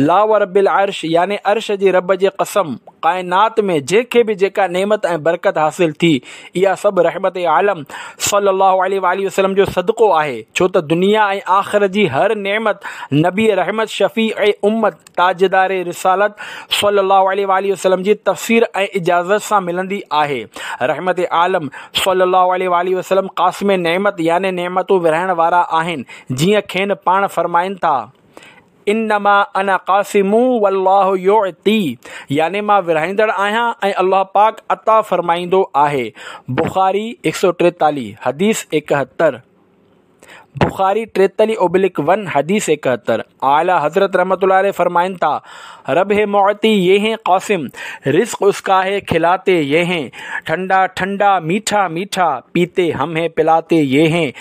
لا ورب العرش يعني عرش جي رب جي قسم، ڪائنات ۾ جنهن کي به جيڪا نعمت ۽ برڪت حاصل ٿي، اها سڀ رحمت عالم صلي الله عليه واٰله وسلم جو صدقو آهي، ڇو ته دنيا ۽ آخرت جي هر نعمت نبي رحمت شفيع امت تاجدار رسالت صلي الله عليه واٰله وسلم جي تفسير ۽ اجازت سان ملندي آهي. رحمت عالم صلي الله عليه واٰله وسلم قاسم نعمت يعني نعمتون ورهائڻ وارا آهن، جيئن کين پاڻ فرمائن ٿا، انما انا قاسم والله يعطي يعني مان ورهائيندڙ آهيان ۽ الله پاڪ عطا فرمائيندو آهي. بخاري هڪ سؤ ٽيتاليهه، حديث ايڪهتر. بخاري ٽيتاليهه اوبلڪ ون، حديث ايڪهتر. اعليٰ حضرت رحمة الله عليه فرمائن ٿا، رب هي معطي يه هين قاسم، رزق اس کا هي کلاتي يه هين، ٺنڊا ٺنڊا ميٺا ميٺا، پيتي هم هين پلاتي يه هين،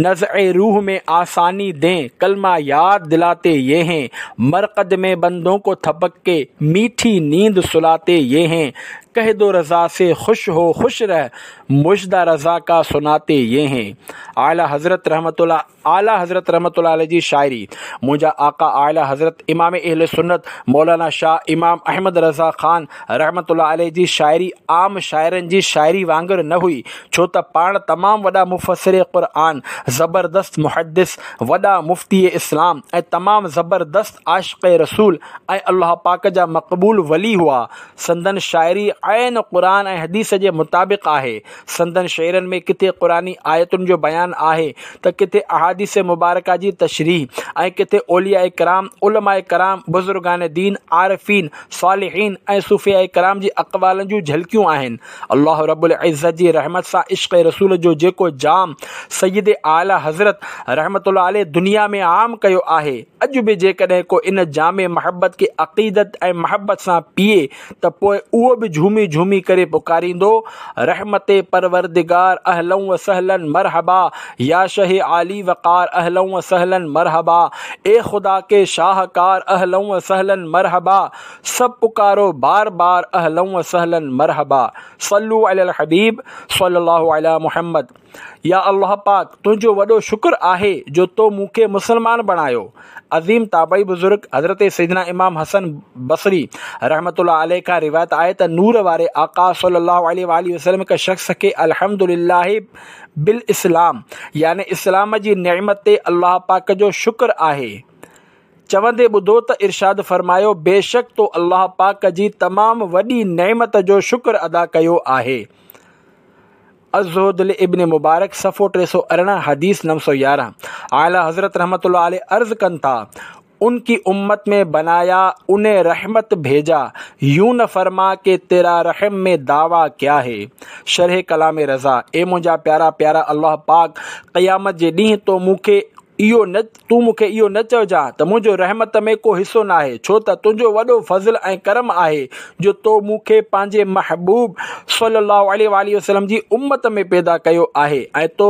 نزع روح ۾ آساني دين، ڪلمه ياد دلاتي يه هين، مرقد ۾ بندون کو ٿپڪ ڪي، ميٺي نيند سلاتي يه هين، ڪهه دو رضا سي خوش هو خوش رهه، مژده رضا کا سناتي يه هين. اعليٰ حضرت رحمة الله اعليٰ حضرت رحمة الله عليه جي شاعري، منهنجا آقا اعليٰ حضرت امام اهل سنت مولانا شاهه امام احمد رضا خان رحمة الله عليه جي شاعري عام شاعرن جي شاعري وانگر نه هئي، ڇو ته پاڻ تمام وڏا مفسر قرآن، زبردست محدث، وڏا مفتي اسلام ۽ تمام زبردست عاشق رسول ۽ الله پاڪ جا مقبول ولي هئا. سندن شاعري عين قرآن ۽ حديث جي مطابق آهي. سندن شعرن ۾ ڪٿي قرآني آيتن جو بيان آهي ته ڪٿي احاديث مبارڪه جي تشريح ۽ ڪٿي اولياء ڪرام، علماء ڪرام، بزرگان دين، عارفين، صالحين ۽ صوفياء ڪرام جي اقوالن جون جهلڪيون آهن. الله رب العزت جي رحمت سان عشق رسول جو جيڪو جام سيد اعليٰ حضرت رحمة الله عليه دنيا ۾ عام ڪيو آهي، اڄ به جيڪڏهن ڪو ان جام محبت کي عقيدت ۽ محبت سان پيئي ته پوء اهو به جهومي جهومي ڪري پڪاريندو، رحمت پروردگار اهلا و سهلا مرحبا، يا شه عالي وقار اهلا و سهلا مرحبا، اي خدا ڪي شاهڪار اهلا و سهلا مرحبا، سڀ پڪارو بار بار اهلا و سهلا مرحبا. صلو علي الحبيب صلي الله علي محمد. يا الله پاڪ تنهنجو وڏو شڪر آهي جو تو مون کي مسلمان بڻايو. عظيم تابعي بزرگ حضرت سيدنا امام حسن بصري رحمة الله عليه کان روايت آهي ته نور واري آقا صلي الله عليه واٰله وسلم هڪ شخص کي الحمد لله بالاسلام يعني اسلام جي نعمت تي الله پاڪ جو شڪر آهي چوندي ٻڌو ته ارشاد فرمايو بيشڪ تو الله پاڪ جي تمام وڏي نعمت جو شڪر ادا ڪيو آهي. الزهد لابن مبارڪ صفحو ٽي سؤ ارڙهن حديث نو سؤ يارهن اعليٰ حضرت رحمة الله عليه عرض ڪن ٿا، ان ڪي امت ۾ بنايا انهين رحمت ڀيجا يون نه فرما ڪي تيرا رحم ۾ دعويٰ ڪيا هي شرح ڪلام رضا اي منهنجا پيارا پيارا الله پاڪ قيامت جي ڏينهن تو مون کي اهو نه تون مون کي اهو نه چئجان ته منهنجو رحمت ۾ ڪو حصو ناهي، ڇو ته تنهنجو وڏو فضل ۽ ڪرم آهي جو تو مون کي پنهنجي محبوب صلّي اللّٰه عليه واٰله وسلّم جي امّت ۾ پيدا ڪيو آهي ۽ تو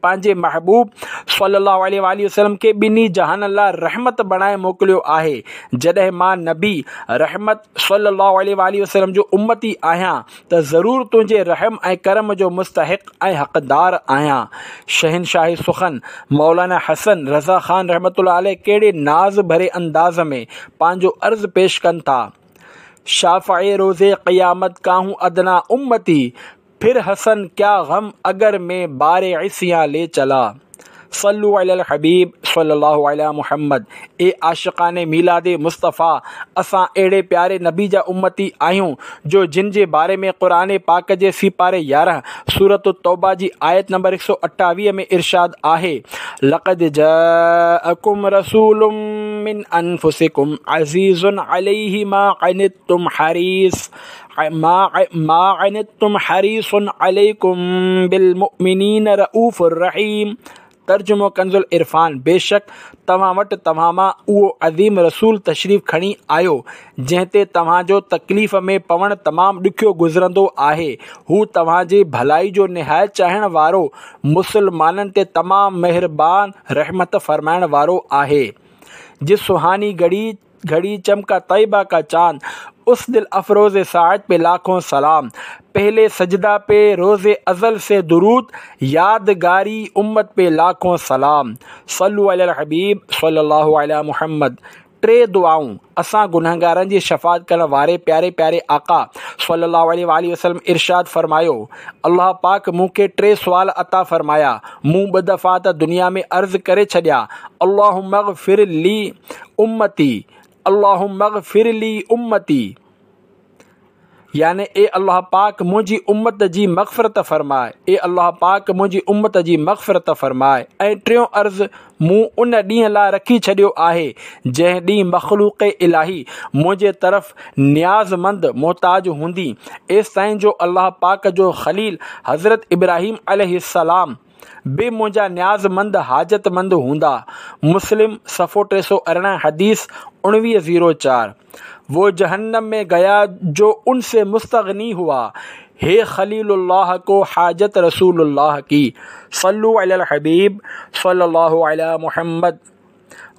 پنهنجي محبوب صلّي اللّٰه عليه واٰله وسلّم کي ٻنهي جهانن لاء رحمت بڻائي موڪليو آهي. جڏهن مان نبي رحمت صلّي اللّٰه عليه واٰله وسلّم جو امّتي آهيان ته ضرور تنهنجي رحم ۽ ڪرم جو مستحق ۽ حقدار آهيان. شهنشاهه سخن مولانا حسن رضا خان رحمة الله عليه ڪهڙي ناز ڀري انداز ۾ پنهنجو عرض پيش ڪن ٿا. شافع روز قيامت ڪا هون ادنيٰ امتي، ڦر حسن ڪيا غم اگر مين بار عصيان لي چلا. صلو علی الحبيب صلي الله علي محمد اي عاشقان ميلاد مصطفيٰ اسان اهڙي پياري نبي جا امتي آهيون جو جن جي باري ۾ قرآن پاڪ جي سيپاري يارهن سورة التوبه جي آيت نمبر هڪ سؤ اٺاويهه ۾ ارشاد آهي لقد جاءڪم رسول من انفسڪم عزيز عليه ما عنتم حريص ما عنتم حريص عليڪم بالمؤمنين رؤوف الرحيم ترجمو ڪنز العرفان، بيشڪ توهان وٽ توهان مان اهو عظيم رسول تشريف کڻي آيو جنهن تي توهان جو تڪليف ۾ پوڻ تمام ڏکيو گذرندو آهي هو توهان جي ڀلائي جو نهايت چاهڻ وارو مسلمانن تي تمام مهربان رحمت فرمائڻ وارو آهي جس سهاني گهڙي گهڙي چمڪا طيبه ڪا چاند اس دل افروز ساعت پي لاکون سلام پهلي سجده پي روز ازل سي درود يادگاري امت پي لاکون سلام صلو علي الحبيب صلي الله علي محمد ٽي دعائون اسان گنهگارن جي شفاعت ڪرڻ واري پياري پياري آقا صلي الله عليه واٰله وسلم ارشاد فرمايو الله پاڪ مون کي ٽي سوال عطا فرمايا مون ٻه دفعا ته دنيا ۾ عرض ڪري ڇڏيا اللهم اغفر لي امتي اللهم اغفر لي امتي يعني اي الله پاڪ منهنجي امت جي مغفرت فرماء اي الله پاڪ منهنجي امت جي مغفرت فرماء ۽ ٽيون عرض مون ان ڏينهن لاء رکي ڇڏيو آهي جنهن ڏينهن مخلوق الاهي منهنجي طرف نيازمند محتاج هوندي ايستائين جو الله پاڪ جو خليل حضرت ابراهيم عليه السلام به منهنجا نيازمند حاجتمند هوندا. مسلم، صفحو ٽي سؤ ارڙهن حديث اڻويهه زيرو چار. وو جهنم ۾ گيا جو ان سي مستغني هوا، هي خليل الله ڪو حاجت رسول الله ڪي. صلو علي الحبيب صلي الله علي محمد.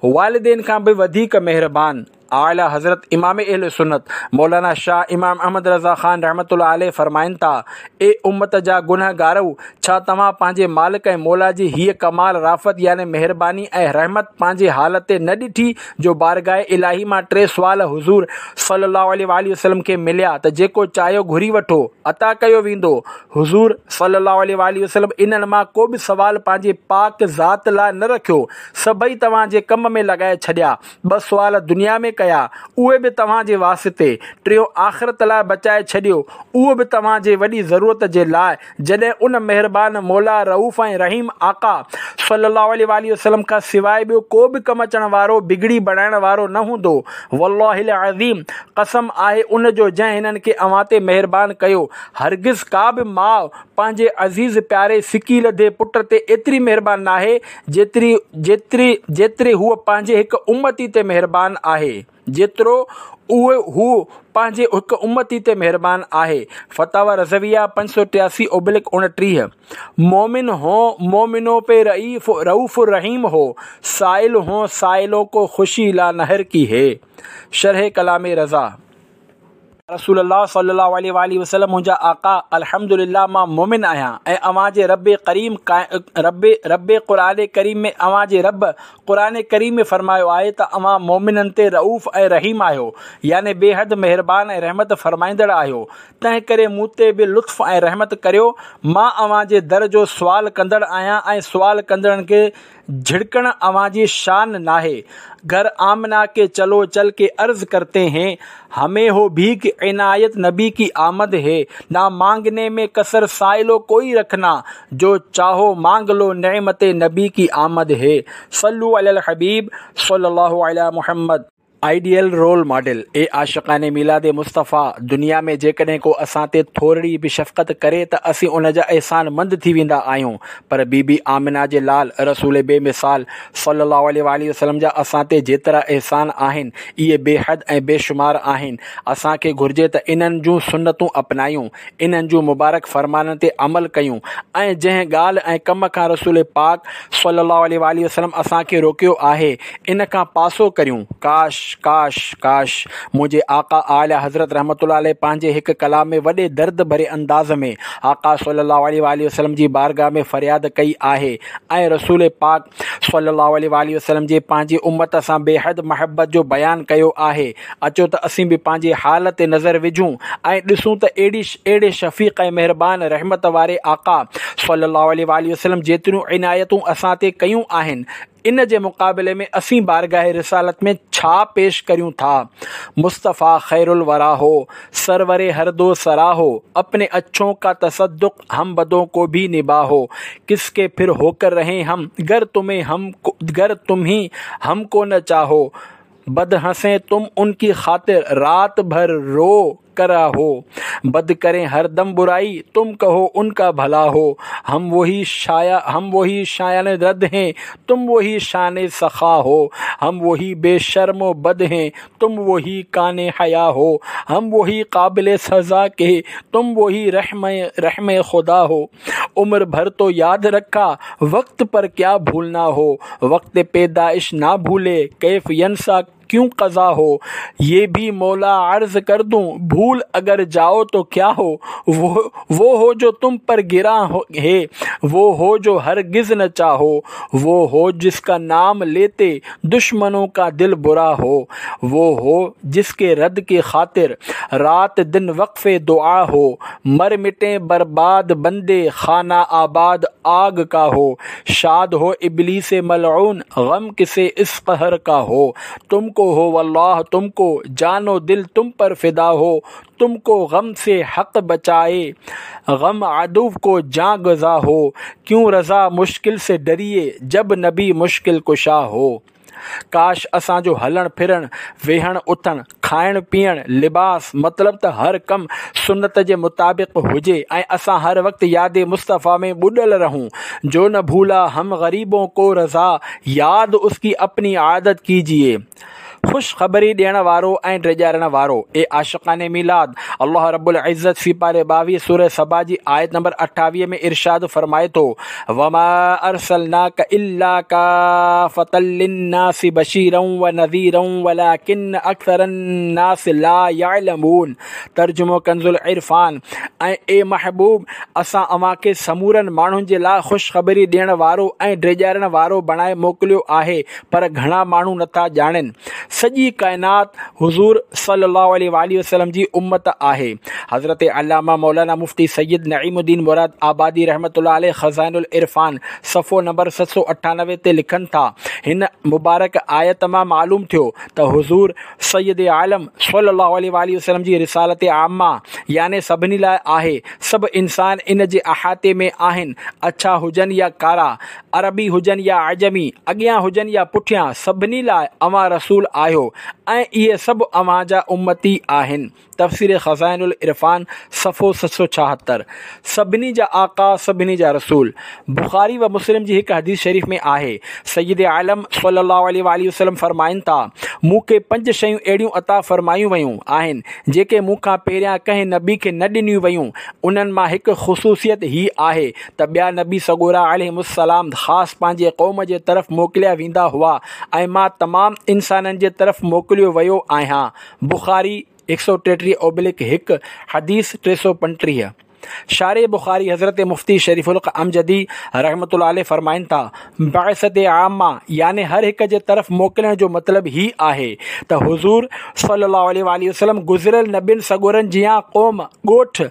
والدين کان به وڌيڪ مهربان اعليٰ حضرت امام اهل سنت مولانا شاهه امام احمد رضا خان رحمة الله عليه فرمائن ٿا، اي امت جا گنهگارؤ! ڇا توهان پنهنجي مالڪ ۽ مولا جي هيء ڪمال رافت يعني مهرباني ۽ رحمت پنهنجي حال تي نه ڏٺي جو بارگاهه الاهي مان ٽي سوال حضور صلي الله عليه واٰله وسلم کي مليا ته جيڪو چاهيو گهري وٺو، عطا ڪيو ويندو. حضور صلي الله عليه واٰله وسلم انهن مان ڪو به سوال پنهنجي پاڪ ذات لاء نه رکيو، سڀئي توهان جي ڪم ۾ لڳائي ڇڏيا. ٻه سوال دنيا ۾ ڪيا، اهي به توهان جي واسطي. ٽيون، آخرت لاء بچائي ڇڏيو، اهو به توهان جي وڏي ضرورت جي لاء. جڏهن ان مهربان مولا رئوف ۽ رحيم آقا صلي الله عليه واٰله وسلم کان سواء ٻيو ڪو به ڪم اچڻ وارو، بگڙي بڻائڻ وارو نه هوندو. والله العظيم، قسم آهي ان جو جنهن هنن کي اوهان تي مهربان ڪيو، هرگز ڪا به ماء پنهنجي عزيز پياري سڪي لڌي پٽ تي ايتري مهربان ناهي جيتري جيتري جيتري هوء پنهنجي هڪ امتي تي مهربان آهي جيترو اهو هو پنهنجي هڪ امتي تي مهربان آهي. فتاويٰ رضويه پنج سؤ ٽياسي اوبلڪ اڻٽيهه. مومن هو مومنون پي رئيف رئوف رحيم هو، سائل هو سائلون ڪو خوشي لا نهر ڪي هي. شرح ڪلام رضا. رسول الله صلي الله عليه واٰله وسلم منهنجا آقا الحمد لله مان مؤمن آهيان ۽ اوهان جي رب ڪريم رب رب قرآن ڪريم ۾ اوهان جي رب قرآن ڪريم ۾ فرمايو آهي ته اوهان مؤمنن تي رئوف ۽ رحيم آهيو يعني بيحد مهربان ۽ رحمت فرمائيندڙ آهيو تنهن ڪري مون تي به لطف ۽ رحمت ڪريو مان اوهان جي در جو سوال ڪندڙ آهيان ۽ سوال ڪندڙن کي جهڙڪڻ اوهان جي شان ناهي. گهر آمنه ڪي چلو چل ڪي عرض ڪرتي هين، همين هو ڀيک عنايت نبي ڪي آمد هي. نا مانگني ۾ ڪسر سائلو ڪوئي رکنا، جو چاهو مانگ لو نعمت نبي ڪي آمد هي. صلو علي الحبيب صلي الله علي محمد. آئيڊيل رول ماڊل، اي عاشقان ميلاد مصطفيٰ! دنيا ۾ جيڪڏهن ڪو اسان تي ٿورڙي به شفقت ڪري ته اسين ان جا احسان مند ٿي ويندا آهيون پر بي بي آمنه جي لال رسول بي مثال صلّي الله عليه واٰله وسلّم جا اسان تي جيترا احسان آهن اهي بي حد ۽ بي شمار آهن اسان کي گهرجي ته انهن جون سنتون اپنايون انهن جون مبارڪ فرمانن تي عمل ڪيون ۽ جنهن ڳالهه ۽ ڪم کان رسول پاڪ صلّي الله عليه واٰله وسلّم اسان کي روڪيو آهي ان کان پاسو ڪريون. ڪاش! ڪاش! ڪاش! منهنجي آقا اعليٰ حضرت رحمة الله عليه پنهنجي هڪ ڪلام ۾ وڏي درد ڀري انداز ۾ آقا صلّي الله عليه واٰله وسلّم جي بارگاھ ۾ فرياد ڪئي آهي ۽ رسول پاڪ صلّي الله عليه واٰله وسلّم جي پنهنجي امّت سان بيحد محبت جو بيان ڪيو آهي. اچو ته اسين به پنهنجي حال تي نظر وجهون ۽ ڏسون ته اهڙي اهڙي شفيق ۽ مهربان رحمت واري آقا صلّي الله عليه واٰله وسلّم جيتريون عنايتون اسان تي ڪيون آهن ان جي مقابلي ۾ اسين بارگاھ رسالت ۾ ڇا پيش ڪريون ٿا؟ مصطفيٰ خير الوريٰ هو، سرور هر دو سرا هو، اپني اڇون ڪا تصدق هم بدون ڪو ڀي نباهو، ڪس ڪي ڦر هوڪر رهين هم، گر تمهين هم گر تمهين هم ڪو نه چاهو، بد هنسين تم ان ڪي خاطر رات ڀر رو ڪر آهو، بد ڪرين هر دم برائي تم ڪهو ان ڪا ڀلا هو، هم وهي شايا هم وهي شايان رد هين تم وهي شان سخا هو، هم وهي بي شرم و بد هين تم وهي ڪان حيا هو، هم وهي قابل سزا ڪي تم وهي رحم رحم خدا هو، عمر ڀر تو ياد رکا وقت پر ڪيا ڀولنا هو، وقت پيدائش نا ڀولي ڪيف ينسيٰ ڪيون قضا هو، يه ڀي مولا عرض ڪر دون ڀول اگر جائو تو ڪيا هو، وو هو جو تم پر گران هي وو هو جو هرگز نه چاهو، وو هو جس ڪا نام ليتي دشمنون ڪا دل برا هو، وو هو جس ڪي رد ڪي خاطر رات دن وقف دعا هو، مر مٽين برباد بندي خانه آباد آگ ڪا هو، شاد هو ابليس ملعون غم ڪسي اس قهر ڪا هو، تم ڪو هو والله تم ڪو جان و دل تم پر فدا هو، تم ڪو غم سي حق بچائي غم عدو ڪو جان گزا هو، ڪيون رضا مشڪل سي ڊريي جب نبي مشڪل ڪشا هو. ڪاش اسان جو هلڻ ڦرڻ، ويهڻ اٿڻ، کائڻ پيئڻ، لباس، مطلب ته هر ڪم سنت جي مطابق هجي ۽ اسان هر وقت ياد مصطفيٰ ۾ ٻڏل رهون. جو نه ڀولا هم غريبون ڪو رضا ياد اس ڪي اپني عادت ڪيجيئي. خوش خبري ڏيڻ وارو ۽ ڊيڄارڻ وارو. اي عاشقان ميلاد! الله رب العزت سيپاري ٻاويهه سوره سبا جي آيت نمبر اٺاويهه ۾ ارشاد فرمائي ٿو، وما ارسلناک الا کافة للناس بشيرا ونذيرا ولڪن اڪثر الناس لا يعلمون ترجمو ڪنزالعرفان، ۽ اي محبوب! اسان اوهان کي سمورن ماڻهن جي لاء خوشخبري ڏيڻ وارو ۽ ڊيڄارڻ وارو بڻائي موڪليو آهي پر گهڻا ماڻهو نٿا ڄاڻين. سڄي ڪائنات حضور صلي الله عليه وآله وسلم جي امت آهي. حضرت علامه مولانا مفتي سيد نعيم الدين مراد آبادي رحمة الله عليه خزائن العرفان صفحو نمبر ست سؤ اٺانوي تي لکن ٿا، هن مبارڪ آيت مان معلوم ٿيو ته حضور سيد عالم صلي الله عليه وآله وسلم جي رسالت عامه يعني سڀني لاء آهي. سڀ انسان ان جي احاطي ۾ آهن، اڇا هجن يا ڪارا، عربي هجن يا عجمي، اڳيان هجن يا پٺيان، سڀني لاء اوهان رسول آهيو ۽ اهي سڀ اوهان جا امتي آهن. تفسير خزائن العرفان صفحو ست سؤ ڇاهتر. سڀني جا آقا، سڀني جا رسول. بخاري و مسلم جي هڪ حديث شريف ۾ آهي، سيد عالم صلي الله عليه واٰله وسلم فرمائن ٿا، مون کي پنج شيون اهڙيون عطا فرمايون ويون آهن، جيڪي مون کان پهريان ڪنهن نبي کي نه ڏنيون ويون. انهن مان هڪ خصوصيت هي آهي ته ٻيا نبي سڳورا عليهم السلام خاص پنهنجي قوم جي طرف موڪليا ويندا هئا ۽ مان تمام انسانن جي طرف موڪليو ويو آهيان. بخاري هڪ سؤ ٽيٽيهه اوبلڪ هڪ، حديث ٽي سؤ پنٽيهه. شارح بخاري حضرت مفتي شريف الحق امجدي رحمة الله عليه فرمائن ٿا، بعثت عامه يعني هر هڪ جي طرف موڪلڻ جو مطلب هي آهي ته حضور صلي الله عليه واٰله وسلم گذريل نبين سڳورن جيان قوم، ڳوٺ،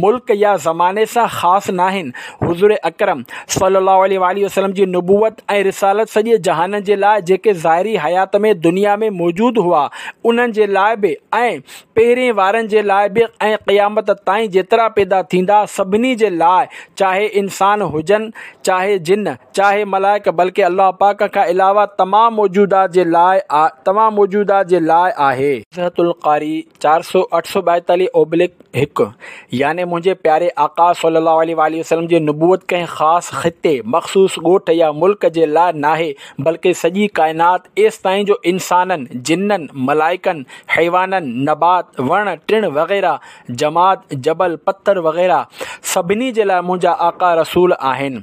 ملڪ يا زماني سان خاص ناهن. حضور اڪرم صلي الله عليه واٰله وسلم جي نبوت ۽ رسالت سڄي جهانن جي لاء جيڪي ظاهري حيات ۾ دنيا ۾ موجود هئا انهن جي لاء به ۽ پهرين وارن جي لاء به ۽ قيامت تائين جيترا پيدا ٿيندا سڀني جي لاء چاهي انسان هجن چاهي جن چاهي ملائڪ بلڪه الله پاڪ کان علاوه تمام موجودات جي لاء تمام موجودات جي لاء آهي. نزهة القاري چار سؤ اٺ سؤ ٻائيتاليهه اوبلڪ هڪ، يعني منهنجي پياري آقا صلّي اللّٰه عليه واٰله وسلّم جي نبوت ڪنهن خاص خطي، مخصوص ڳوٺ يا ملڪ جي لاء ناهي بلڪه سڄي ڪائنات ايستائين جو انسانن، جنن، ملائڪن، حيوانن، نبات، وڻ ٽڻ وغيره، جماد، جبل، پٿر وغيره سڀني جي لاء منهنجا آقا رسول آهن.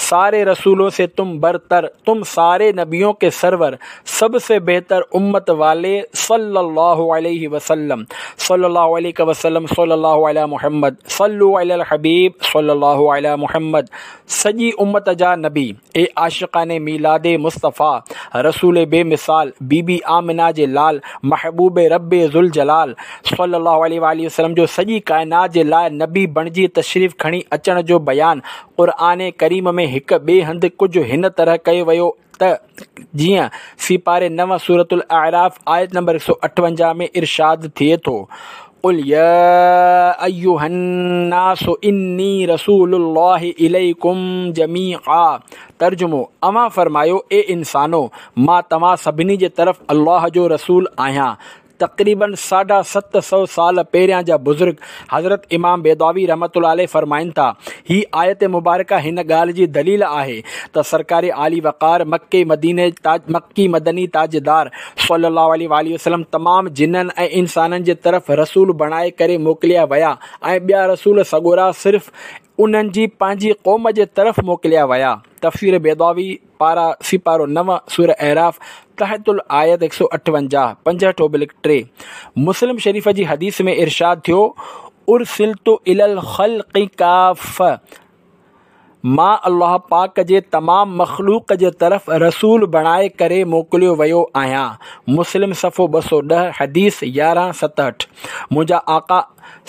ساري رسولون سي تم برتر، تم ساري نبيون ڪي سرور، سب سي بهتر امت والي صلي الله عليه وسلم صلي الله عليک وسلم صلي الله علي محمد صلو علي الحبيب صلي الله علي محمد سڄي امت جا نبي اي عاشقان ميلاد مصطفيٰ رسول بي مثال بي بي آمنه جي لال محبوب رب ذوالجلال صلي الله عليه واٰله وسلم جو سڄي ڪائنات جي لاء نبي بڻجي تشريف کڻي اچڻ جو بيان قرآن ڪريم ۾ هڪ ٻئي هنڌ ڪجهه هن طرح ڪيو ويو ته جيئن سيپاري نو سورة الاعراف آيت نمبر هڪ سؤ اٺونجاهه ۾ ارشاد ٿئي ٿو، قل يا ايها الناس اني رسول الله اليڪم جميعا ترجمو، اوهان فرمايو، اي انسانو! مان توهان سڀني جي طرف الله جو رسول آهيان. تقريباً ساڍا ست سؤ سال پهريان جا بزرگ حضرت امام بيضاوي رحمة الله عليه فرمائن ٿا، هي آيت مبارڪه هن ڳالهه جي دليل آهي ته سرڪار عالي وقار مڪي مديني مڪي مدني تاجدار صلي الله عليه واٰله وسلم تمام جنن ۽ انسانن جي طرف رسول بڻائي ڪري موڪليا ويا ۽ ٻيا رسول سڳورا صرف انهن جي پنهنجي قوم جي طرف موڪليا ويا. تفسير بيضاوي، پارا، سيپارو نو، سوره اعراف، تحت الآيت هڪ سؤ اٺونجاهه، پنجهٺ اوبلڪ ٽي. مسلم شريف جي حديث ۾ ارشاد ٿيو، ارسلت الي الخلق ڪافة، مان الله پاڪ جي تمام مخلوق جي طرف رسول بڻائي ڪري موڪليو ويو آهيان. مسلم صفحو ٻه سؤ ڏهه، حديث يارهن ستهٺ. منهنجا آقا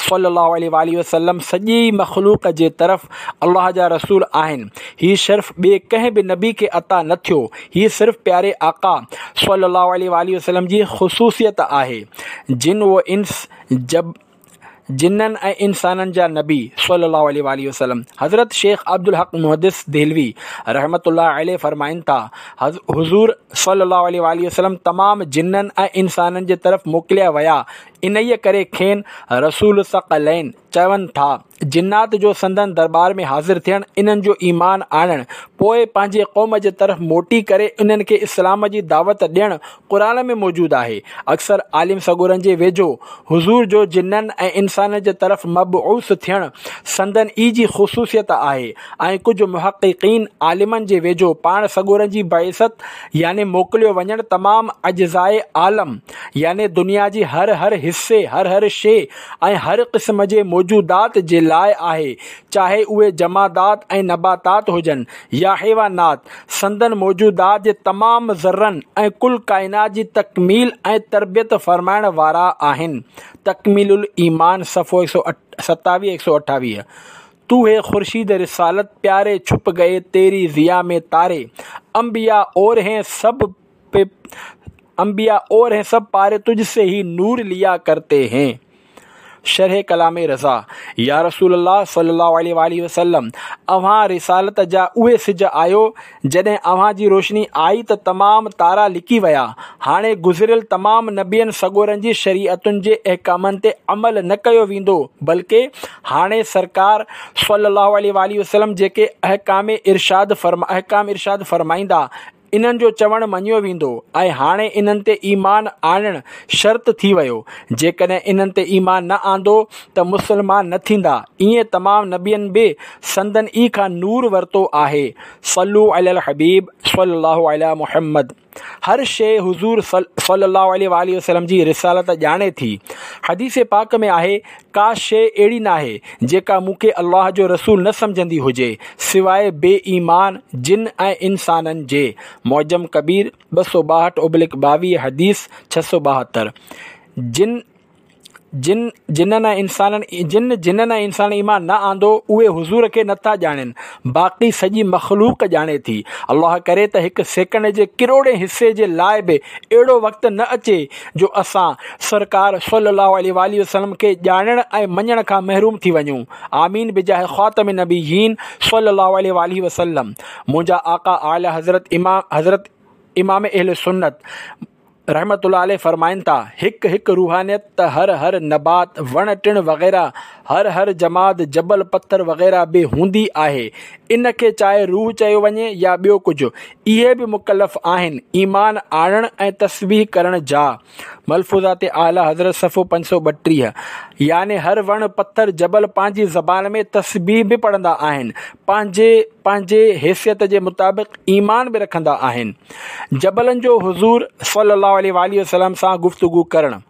صلي الله عليه واٰله وسلم سڄي مخلوق جي طرف الله جا رسول آهن. هي شرف ٻئي ڪنهن به نبي کي عطا نه ٿيو. هي صرف پياري آقا صلي الله عليه واٰله وسلم جي خصوصيت آهي. جن و انس جب جنن ۽ انسانن جا نبي صلي الله عليه واٰله وسلم. حضرت شيخ عبدالحق محدث دهلوي رحمة الله عليه فرمائن ٿا، حضور صلي الله عليه واٰله وسلم تمام جنن ۽ انسانن جي طرف موڪليا ويا. انهيء ڪري کين رسول الثقلين چون ٿا. جنات جو سندن درٻار ۾ حاضر ٿيڻ، انهن جو ايمان آڻڻ، پوء پنهنجي قوم جي طرف موٽي ڪري انهن کي اسلام جي دعوت ڏيڻ قرآن ۾ موجود آهي. اڪثر عالم سڳورن جي ويجهو حضور جو جنن ۽ انسانن جي طرف مبعوث ٿيڻ سندن ئي جي خصوصيت آهي ۽ ڪجهه محققين عالمن جي ويجهو پاڻ سڳورن جي بعثت يعني موڪليو وڃڻ تمام اجزاء عالم يعني دنيا جي هر هر حصي، هر هر شيء ۽ هر قسم جي موجودات جي لاء آهي، چاهي اهي جمادات ۽ نباتات هجن يا حيوانات، سندن موجودات جي تمام ذرن ۽ ڪل ڪائنات جي تڪميل ۽ تربيت فرمائڻ وارا آهن. تڪميل الايمان صفحو هڪ سؤ ستاويهه هڪ سؤ اٺاويهه. تو هي خورشيد رسالت پياري ڇپ گئي تيري ضيا ۾ تاري، انبياء اور هين سب پي انبياء اور هين سب پاري تجھ سي هي نور ليا ڪرتي هين. شرح ڪلام رضا، يا رسول الله صلي الله عليه واٰله وسلم اوهان رسالت جا اهي سج آهيو، جڏهن اوهان جي روشني آئي ته تمام تارا لڪي ويا. هاڻي گذريل تمام نبين سڳورن جي شريعتن جي احڪامن تي عمل نه ڪيو ويندو، بلڪه هاڻي سرڪار صلي الله عليه واٰله وسلم جيڪي احڪام ارشاد احڪام ارشاد فرمائيندا، انهن جو چوڻ مڃيو ويندو ۽ هاڻي انهن تي ايمان آڻڻ شرط ٿي ويو. جيڪڏهن انهن تي ايمان نه آندو ته مسلمان نه ٿيندا. ائين تمام نبين به سندن ئي کان نور ورتو آهي. صلو علی الحبيب صلي الله علي محمد. هر شيء حضور صلي الله عليه واٰله وسلم جي رسالت ڄاڻي ٿي. حديث پاڪ ۾ آهي، ڪا شيء اهڙي ناهي جيڪا مون کي الله جو رسول نه سمجهندي هجي، سواء بي ايمان جن ۽ انسانن جي. معجم ڪبير ٻه سؤ ٻاهٺ اوبلڪ ٻاويهه حديث ڇهه سؤ ٻاهتر. جن جن جنن ۽ انسانن جن جنن ۽ انسانن ايمان نه آندو اهي حضور کي نٿا ڄاڻين، باقي سڄي مخلوق ڄاڻي ٿي. الله ڪري ته هڪ سيڪنڊ جي ڪروڙين حصي جي لاء به اهڙو وقت نه اچي جو اسان سرڪار صلي الله عليه واٰله وسلم کي ڄاڻڻ ۽ مڃڻ کان محروم ٿي وڃون. آمين بجاه خاتم النبيين صلي الله عليه واٰله وسلم. منهنجا آقا اعلي حضرت امام حضرت امام اهل سنت رحمة الله عليه فرمائن ٿا، هڪ هڪ روحانيت ته هر هر نبات، وڻ ٽڻ وغيره، هر هر جماد، جبل پٿر وغيره به هوندي آهي، ان کي چاهي روح چيو وڃي يا ٻيو ڪجهه، اهي به مڪلف آهن ايمان آڻڻ ۽ تسبيح ڪرڻ جا. ملفوظات اعليٰ حضرت صفحو پنج سؤ ٻٽيهه. يعني هر وڻ، پٿر، جبل پنهنجي زبان ۾ تسبيح به پڙهندا آهن، پنهنجي پنهنجي حيثيت جي مطابق ايمان به رکندا آهن. جبلن جو حضور صلي الله عليه واٰله وسلم سان گفتگو ڪرڻ.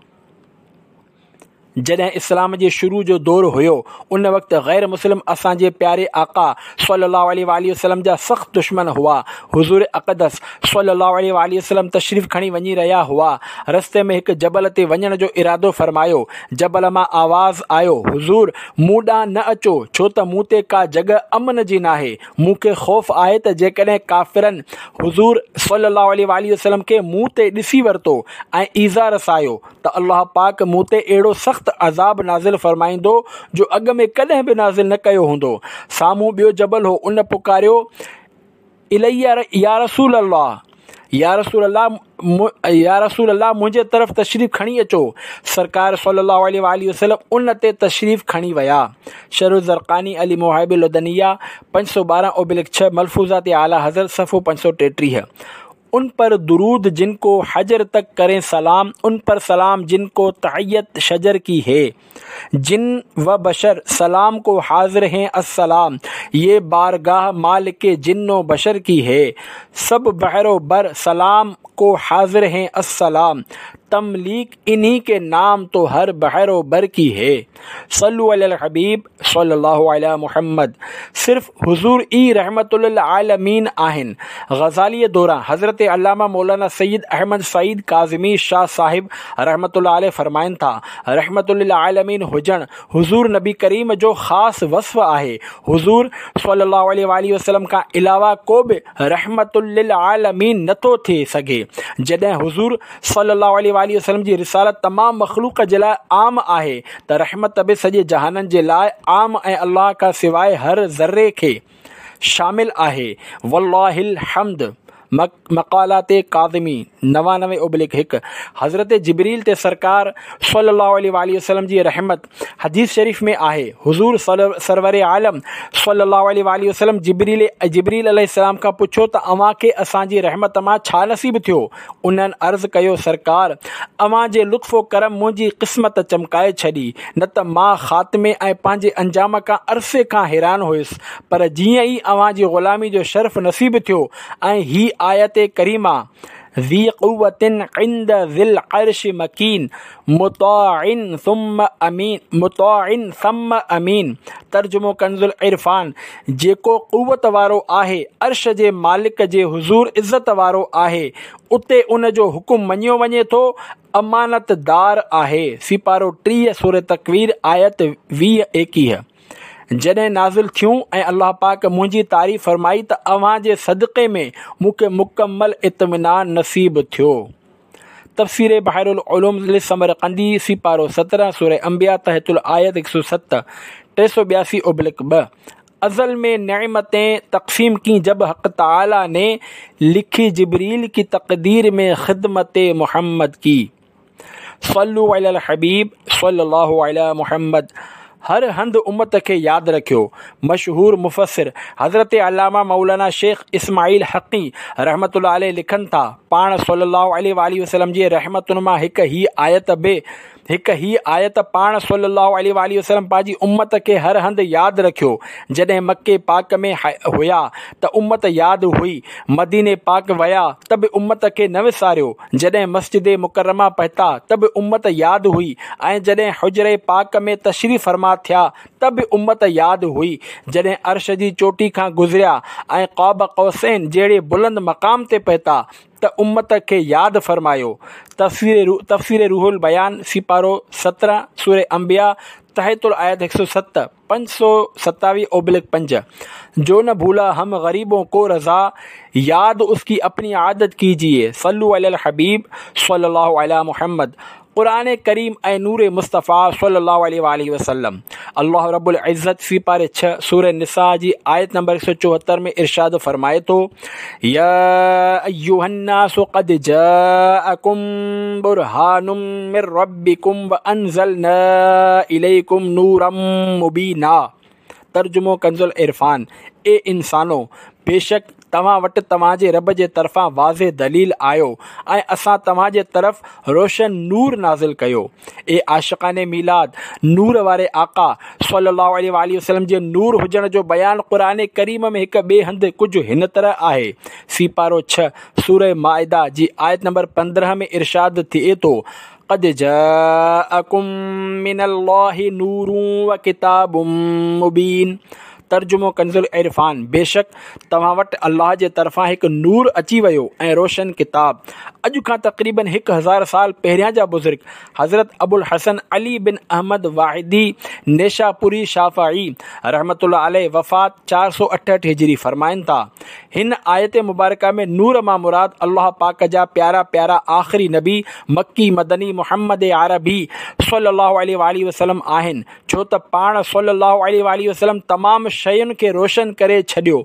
جڏهن اسلام جي شروع جو دور هيو، ان وقت غير مسلم اسان جي پياري آقا صلي الله عليه واٰله وسلم جا سخت دشمن هئا. حضور اقدس صلي الله عليه واٰله وسلم تشريف کڻي وڃي رهيا هئا. رستي ۾ هڪ جبل تي وڃڻ جو ارادو فرمايو. جبل مان آواز آيو، حضور! مون ڏانهن نه اچو، ڇو ته مون تي ڪا جڳهه امن جي ناهي. مون کي خوف آهي ته جيڪڏهن ڪافرن حضور صلي الله عليه واٰله وسلم کي مون تي ڏسي ورتو ۽ ايذاء رسايو ته الله پاڪ مون تي اهڙو سخت عذاب نازل فرمائيندو جو اڳ ۾ ڪڏهن به نازل نه ڪيو هوندو. سامهون ٻيو جبل هو، ان پڪاريو، الي يا رسول الله، يا رسول الله، يا رسول الله منهنجي طرف تشريف کڻي اچو. سرڪار صلي الله عليه واٰله وسلم ان تي تشريف کڻي ويا. شرح الزرقاني علي مواهب اللدنيه پنج سؤ ٻارهن اوبلڪ ڇهه ملفوظات اعليٰ حضرت صفحو پنج سؤ ٽيٽيهه. ان پر درود جن کو حجر تڪ ڪرين سلام، ان پر سلام جن کو تحيت شجر ڪي هي. جن و بشر سلام کو حاضر هين السلام، يه بارگاه مالڪ جن و بشر ڪي هي. سب بحر و بر سلام کو حاضر هين السلام، تمليڪ انهي ڪي نام تو هر بحر و بر ڪي هي. صلو علي الحبيب صلي الله علي محمد. صرف حضور ئي رحمت للعالمين آهن. غزاليء دوران حضرت علامه مولانا سيد احمد سعيد ڪاظمي شاهه صاحب رحمة الله عليه فرمائن ٿا، رحمت للعالمين هجڻ حضور نبي ڪريم جو خاص وصف آهي. حضور صلي الله عليه واٰله وسلم کان علاوه ڪو به رحمت للعالمين نٿو ٿي سگهي. جڏهن حضور صلي الله عليه واٰله وسلم جي رسالت تمام مخلوق جي لاء عام آهي ته رحمت به سڄي جهانن جي لاء عام ۽ الله کان سواء هر ذري کي شامل آهي. والله الحمد. مقالات ڪاظمي نوانوي اوبلڪ هڪ. حضرت جبريل تي سرڪار صلي الله عليه واٰله وسلم جي رحمت حديث شريف ۾ آهي، حضور سرور عالم صلي الله عليه واٰله وسلم جبريل جبريل عليه السلام کان پڇيو ته اوهان کي اسان جي رحمت مان ڇا نصيب ٿيو؟ انهن عرض ڪيو، سرڪار! اوهان جي لطف و ڪرم منهنجي قسمت چمڪائي ڇڏي، نه ته مان خاتمي ۽ پنهنجي انجام کان عرصي کان حيران هيس، پر جيئن ئي اوهان جي غلامي جو شرف نصيب ٿيو ۽ هي آيت ڪريمه ذي قوة عند ذي العرش مڪين مطاع ثم امين مطاع ثم امين. ترجمو ڪنز العرفان: جيڪو قوت وارو آهي، عرش جي مالڪ جي حضور عزت وارو آهي، اتي ان جو حڪم مڃيو وڃي ٿو، امانت دار آهي. سيپارو ٽيهه، سورة تڪوير، آيت ويهه ايڪيهه. جڏهن نازل ٿيون ۽ الله پاڪ منهنجي تعريف فرمائي ته اوهان جي صدقي ۾ مون کي مڪمل اطمينان نصيب ٿيو. تفسير بحر العلوم للسمرقندي، سيپارو سترهن، سورة انبياء، تحت الآيت هڪ سؤ ست، ٽي سؤ ٻياسي ابلڪ ٻه. ازل में नेमतें तक़सीम की जब हक़ तआला ने, लिखी जिब्रील की तक़दीर में ख़िदमत मुहम्मद की. सल्लु अलल हबीब सल्लल्लाहु अला मुहम्मद. हर हंध उम्मत खे यादि रखियो. मशहूर मुफ़सिर हज़रत अलामा मौलाना शेख इस्माइल हक़ी रहमतुल्लाह अलैह लिखनि था, पाण सल्लल्लाहु अलैहि वसल्लम जे रहमतुनि मां हिकु हीअ आयत बि हिकु हीअ आयत पाण सल्लल्लाहु अलैहि वसल्लम पंहिंजी उम्मत खे हर हंधि यादि रखियो. जॾहिं मक्के पाक में हुया त उम्मत यादि हुई, मदीने पाक विया त बि उम्मत खे न विसारियो, जॾहिं मस्जिद मुकर्रमा पहुता त बि उम्मत यादि हुई, ऐं जॾहिं हुजरे पाक में तशरीफ़ फरमा थिया त बि उम्मत यादि हुई, जॾहिं अर्श जी चोटी खां गुज़रिया ऐं क़ाब क़ौसैन जहिड़े बुलंद मक़ाम ते पहुता त उम्मत खे यादि फरमायो. तफ़सीर तफ़सीर रूहुल बयान, सिपारो सत्रहं, सूरह अंबिया, तहतुल आयत हिकु सौ सत, पंज सौ सतावीह ओब्लिक पंज. जो न भूला हम गरीबों को रज़ा, याद उसकी अपनी आदत कीजिए. सल्लु अलल हबीब सल्लल्लाहु अला मुहम्मद. क़ुरान करीम ऐं नूर मुस्तफ़ा सल्लल्लाहु अलैहि वसल्लम. अल्लाह रब्बुल इज़्ज़त सिपारे छह, सूरह निसा जी आयत नंबर एक सौ चौहत्तर में इरशाद फरमाए तो, या अय्युहन्नासु क़द जाअकुम बुरहानुम मिर रब्बिकुम व अनज़लना इलैकुम नूरम मुबीना. तर्जुमो कंजुल इरफान: ए इंसानो, बेशक तव्हां वटि तव्हांजे रब जे तरफ़ां वाज़े दलील आयो ऐं असां तव्हांजे तरफ़ रोशन नूर नाज़िल कयो. ए आशिक़ान मीलाद, नूर वारे आक़ा सल्लल्लाहु अलैहि वसल्लम जे नूर हुजण जो बयान क़ुरान करीम में हिकु ॿिए हंधि कुझु हिन तरह आहे. सिपारो छह, सूरह माइदा जी आयत नंबर पंद्रहं में इरशाद थिए थो, क़द जाअकुम मिनल्लाहि नूरुन व किताबुम मुबीन. तर्जुमो कंजुल इरफान: बेशक तव्हां वटि अल्लाह जे तरफ़ां हिकु नूर अची वियो ऐं रोशन किताब. अॼु खां तक़रीबन हिकु हज़ार साल पहिरियां जा बुज़ुर्ग हज़रत अबुल हसन अली बिन अहमद वाहिदी नेशापुरी शाफ़ई रहमतुल्लाह अलैह वफ़ात चारि सौ अठहठि हिजरी फरमाइनि था, हिन आयत मुबारक में नूर मां मुराद अल्लाह पाक जा प्यारा प्यारा आख़िरी नबी मक्की मदनी मुहम्मद अरबी सल्लल्लाहु अलैहि वसल्लम आहिनि, छो त पाण सल्लल्लाहु अलैहि वसल्लम तमामु शयुनि खे रोशन करे छॾियो.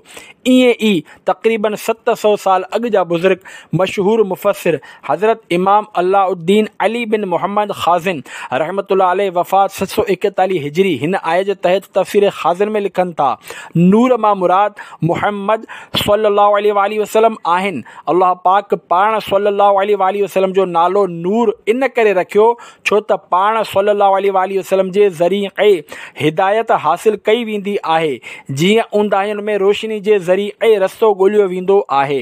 ईअं ई तक़रीबन सत सौ साल अॻु जा बुज़ुर्ग मशहूर मुफ़स्सिर हज़रत इमाम अलाउद्दीन अली बिन मोहम्मद ख़ाज़िन रहमतुल्लाह अलैह वफ़ात सत सौ एकतालीह हिजरी हिन आयत जे तहत तफ़सीर ख़ाज़िन में लिखनि था, नूर मां मुराद मुहम्मद सल्लल्लाहु अलैहि वसल्लम आहिनि. अल्लाह पाक पाण सल्लल्लाहु अलैहि वसल्लम जो नालो नूर इन करे रखियो छो त पाण सल्लल्लाहु अलैहि वसल्लम जे ज़रिए हिदायत हासिल कई वेंदी आहे, जीअं ऊंदाहियुनि में रोशनी जे ज़रिए रस्तो ॻोल्हियो वेंदो आहे.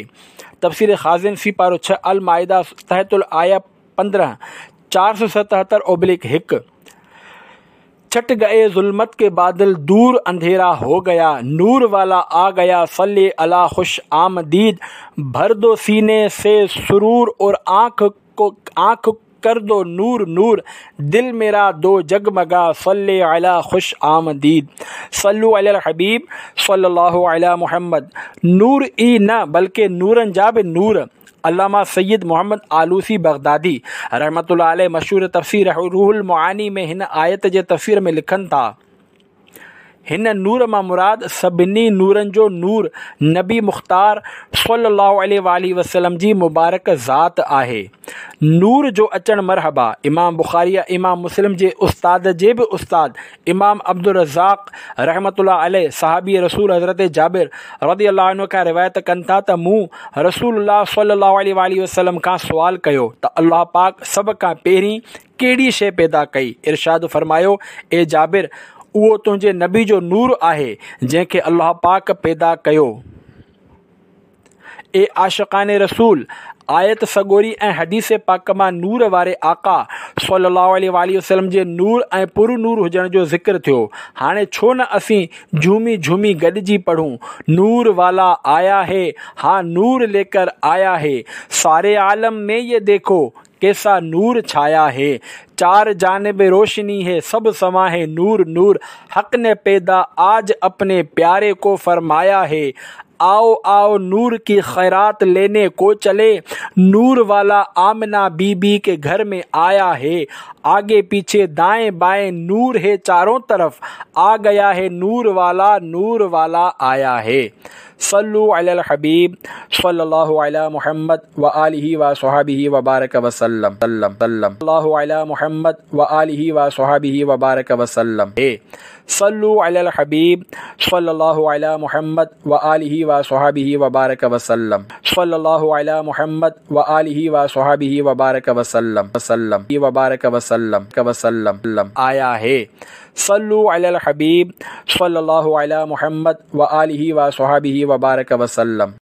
तफ़सीर ख़ाज़िन सिपारो छह, अल माइदा तहतुल आया पंद्रहं, चारि सौ सतहतरि ओब्लिक हिकु. छट गए जुल्मत के बादल, दूर अंधेरा हो गया, नूर वाला आ गया, सल्ले अला खुश आमदीद. भर दो सीने से सुरूर और आँख को आँख कर दो नूर नूर, दिल मेरा दो जगमगा, सल्ले अला खुश आमदीद. सल्लु अलल हबीब सल्लल्लाहु अला मुहम्मद. नूर ई न बल्कि नूरन जा बि नूर. अल्लामा सैयद मोहम्मद आलूसी बगदादी रहमतुल्लाह अलैह मशहूर तफ़सीर रूहुल मुआनी में हिन आयत जे तफ़सीर में लिखनि था, हिन नूर मां मुराद सभिनी नूरनि जो नूर नबी मुख्तार सल्लल्लाहु अलैहि वसल्लम जी मुबारक ज़ात आहे. नूर जो अचणु मरहबा. इमाम बुखारी इमाम मुस्लिम जे उस्ताद जे बि उस्ताद इमाम अब्दुल रज़ाक रहमतुल्लाह अलैह सहाबी रसूल हज़रत जाबिर रज़ी अल्लाह अन्हु खां रिवायत कनि था त मूं रसूलुल्लाह सल्लल्लाहु अलैहि वसल्लम खां सुवाल कयो त अल्लाह पाक सभ खां पहिरीं कहिड़ी शइ पैदा कई? इरशाद फरमायो, ए जाबिर, उहो तुंहिंजे नबी जो नूर आहे जंहिंखे अल्लाह पाक पैदा कयो. ए आशिक़ान रसूल, آيت سڳوري ۽ حديث پاڪ مان نور واري آقا صلي الله عليه واٰله وسلم جي نور ۽ پر نور هجڻ جو ذڪر ٿيو. هاڻي ڇو نه اسين جهومي جهومي گڏجي پڙهون، نور والا آيا هي، ها نور ليڪر آيا هي، ساري عالم ۾ يه ديکو ڪيسا نور ڇايا هي، چار جانب روشني هي سب سما هي نور نور، حق ني پيدا آج اپني پياري ڪو فرمايا هي، آئو آئو نور ڪي خيرات ليني ڪو چلي، نور والا آمنه بي بي ڪي گهر ۾ آيا هي، آگي پيڇي دائين بائين نور هي چارون طرف، آ گيا هي نور والا نور والا آيا هي. صلو علي الحبيب صلي الله علي محمد وآله وصحبه وبارڪ وسلم سلم سلم الله علي محمد وآله وصحبه وبارڪ وسلم هي. صلو علي الحبيب صلي الله علي محمد وآله وصحبه وبارڪ وسلم صلي الله علي محمد وآله وصحبه وبارڪ وسلم وسلم وبارڪ وسلم وسلم سلم آيا هي. صلو علي الحبيب صلي الله علي محمد وآله وصحبه وبارڪ وسلم.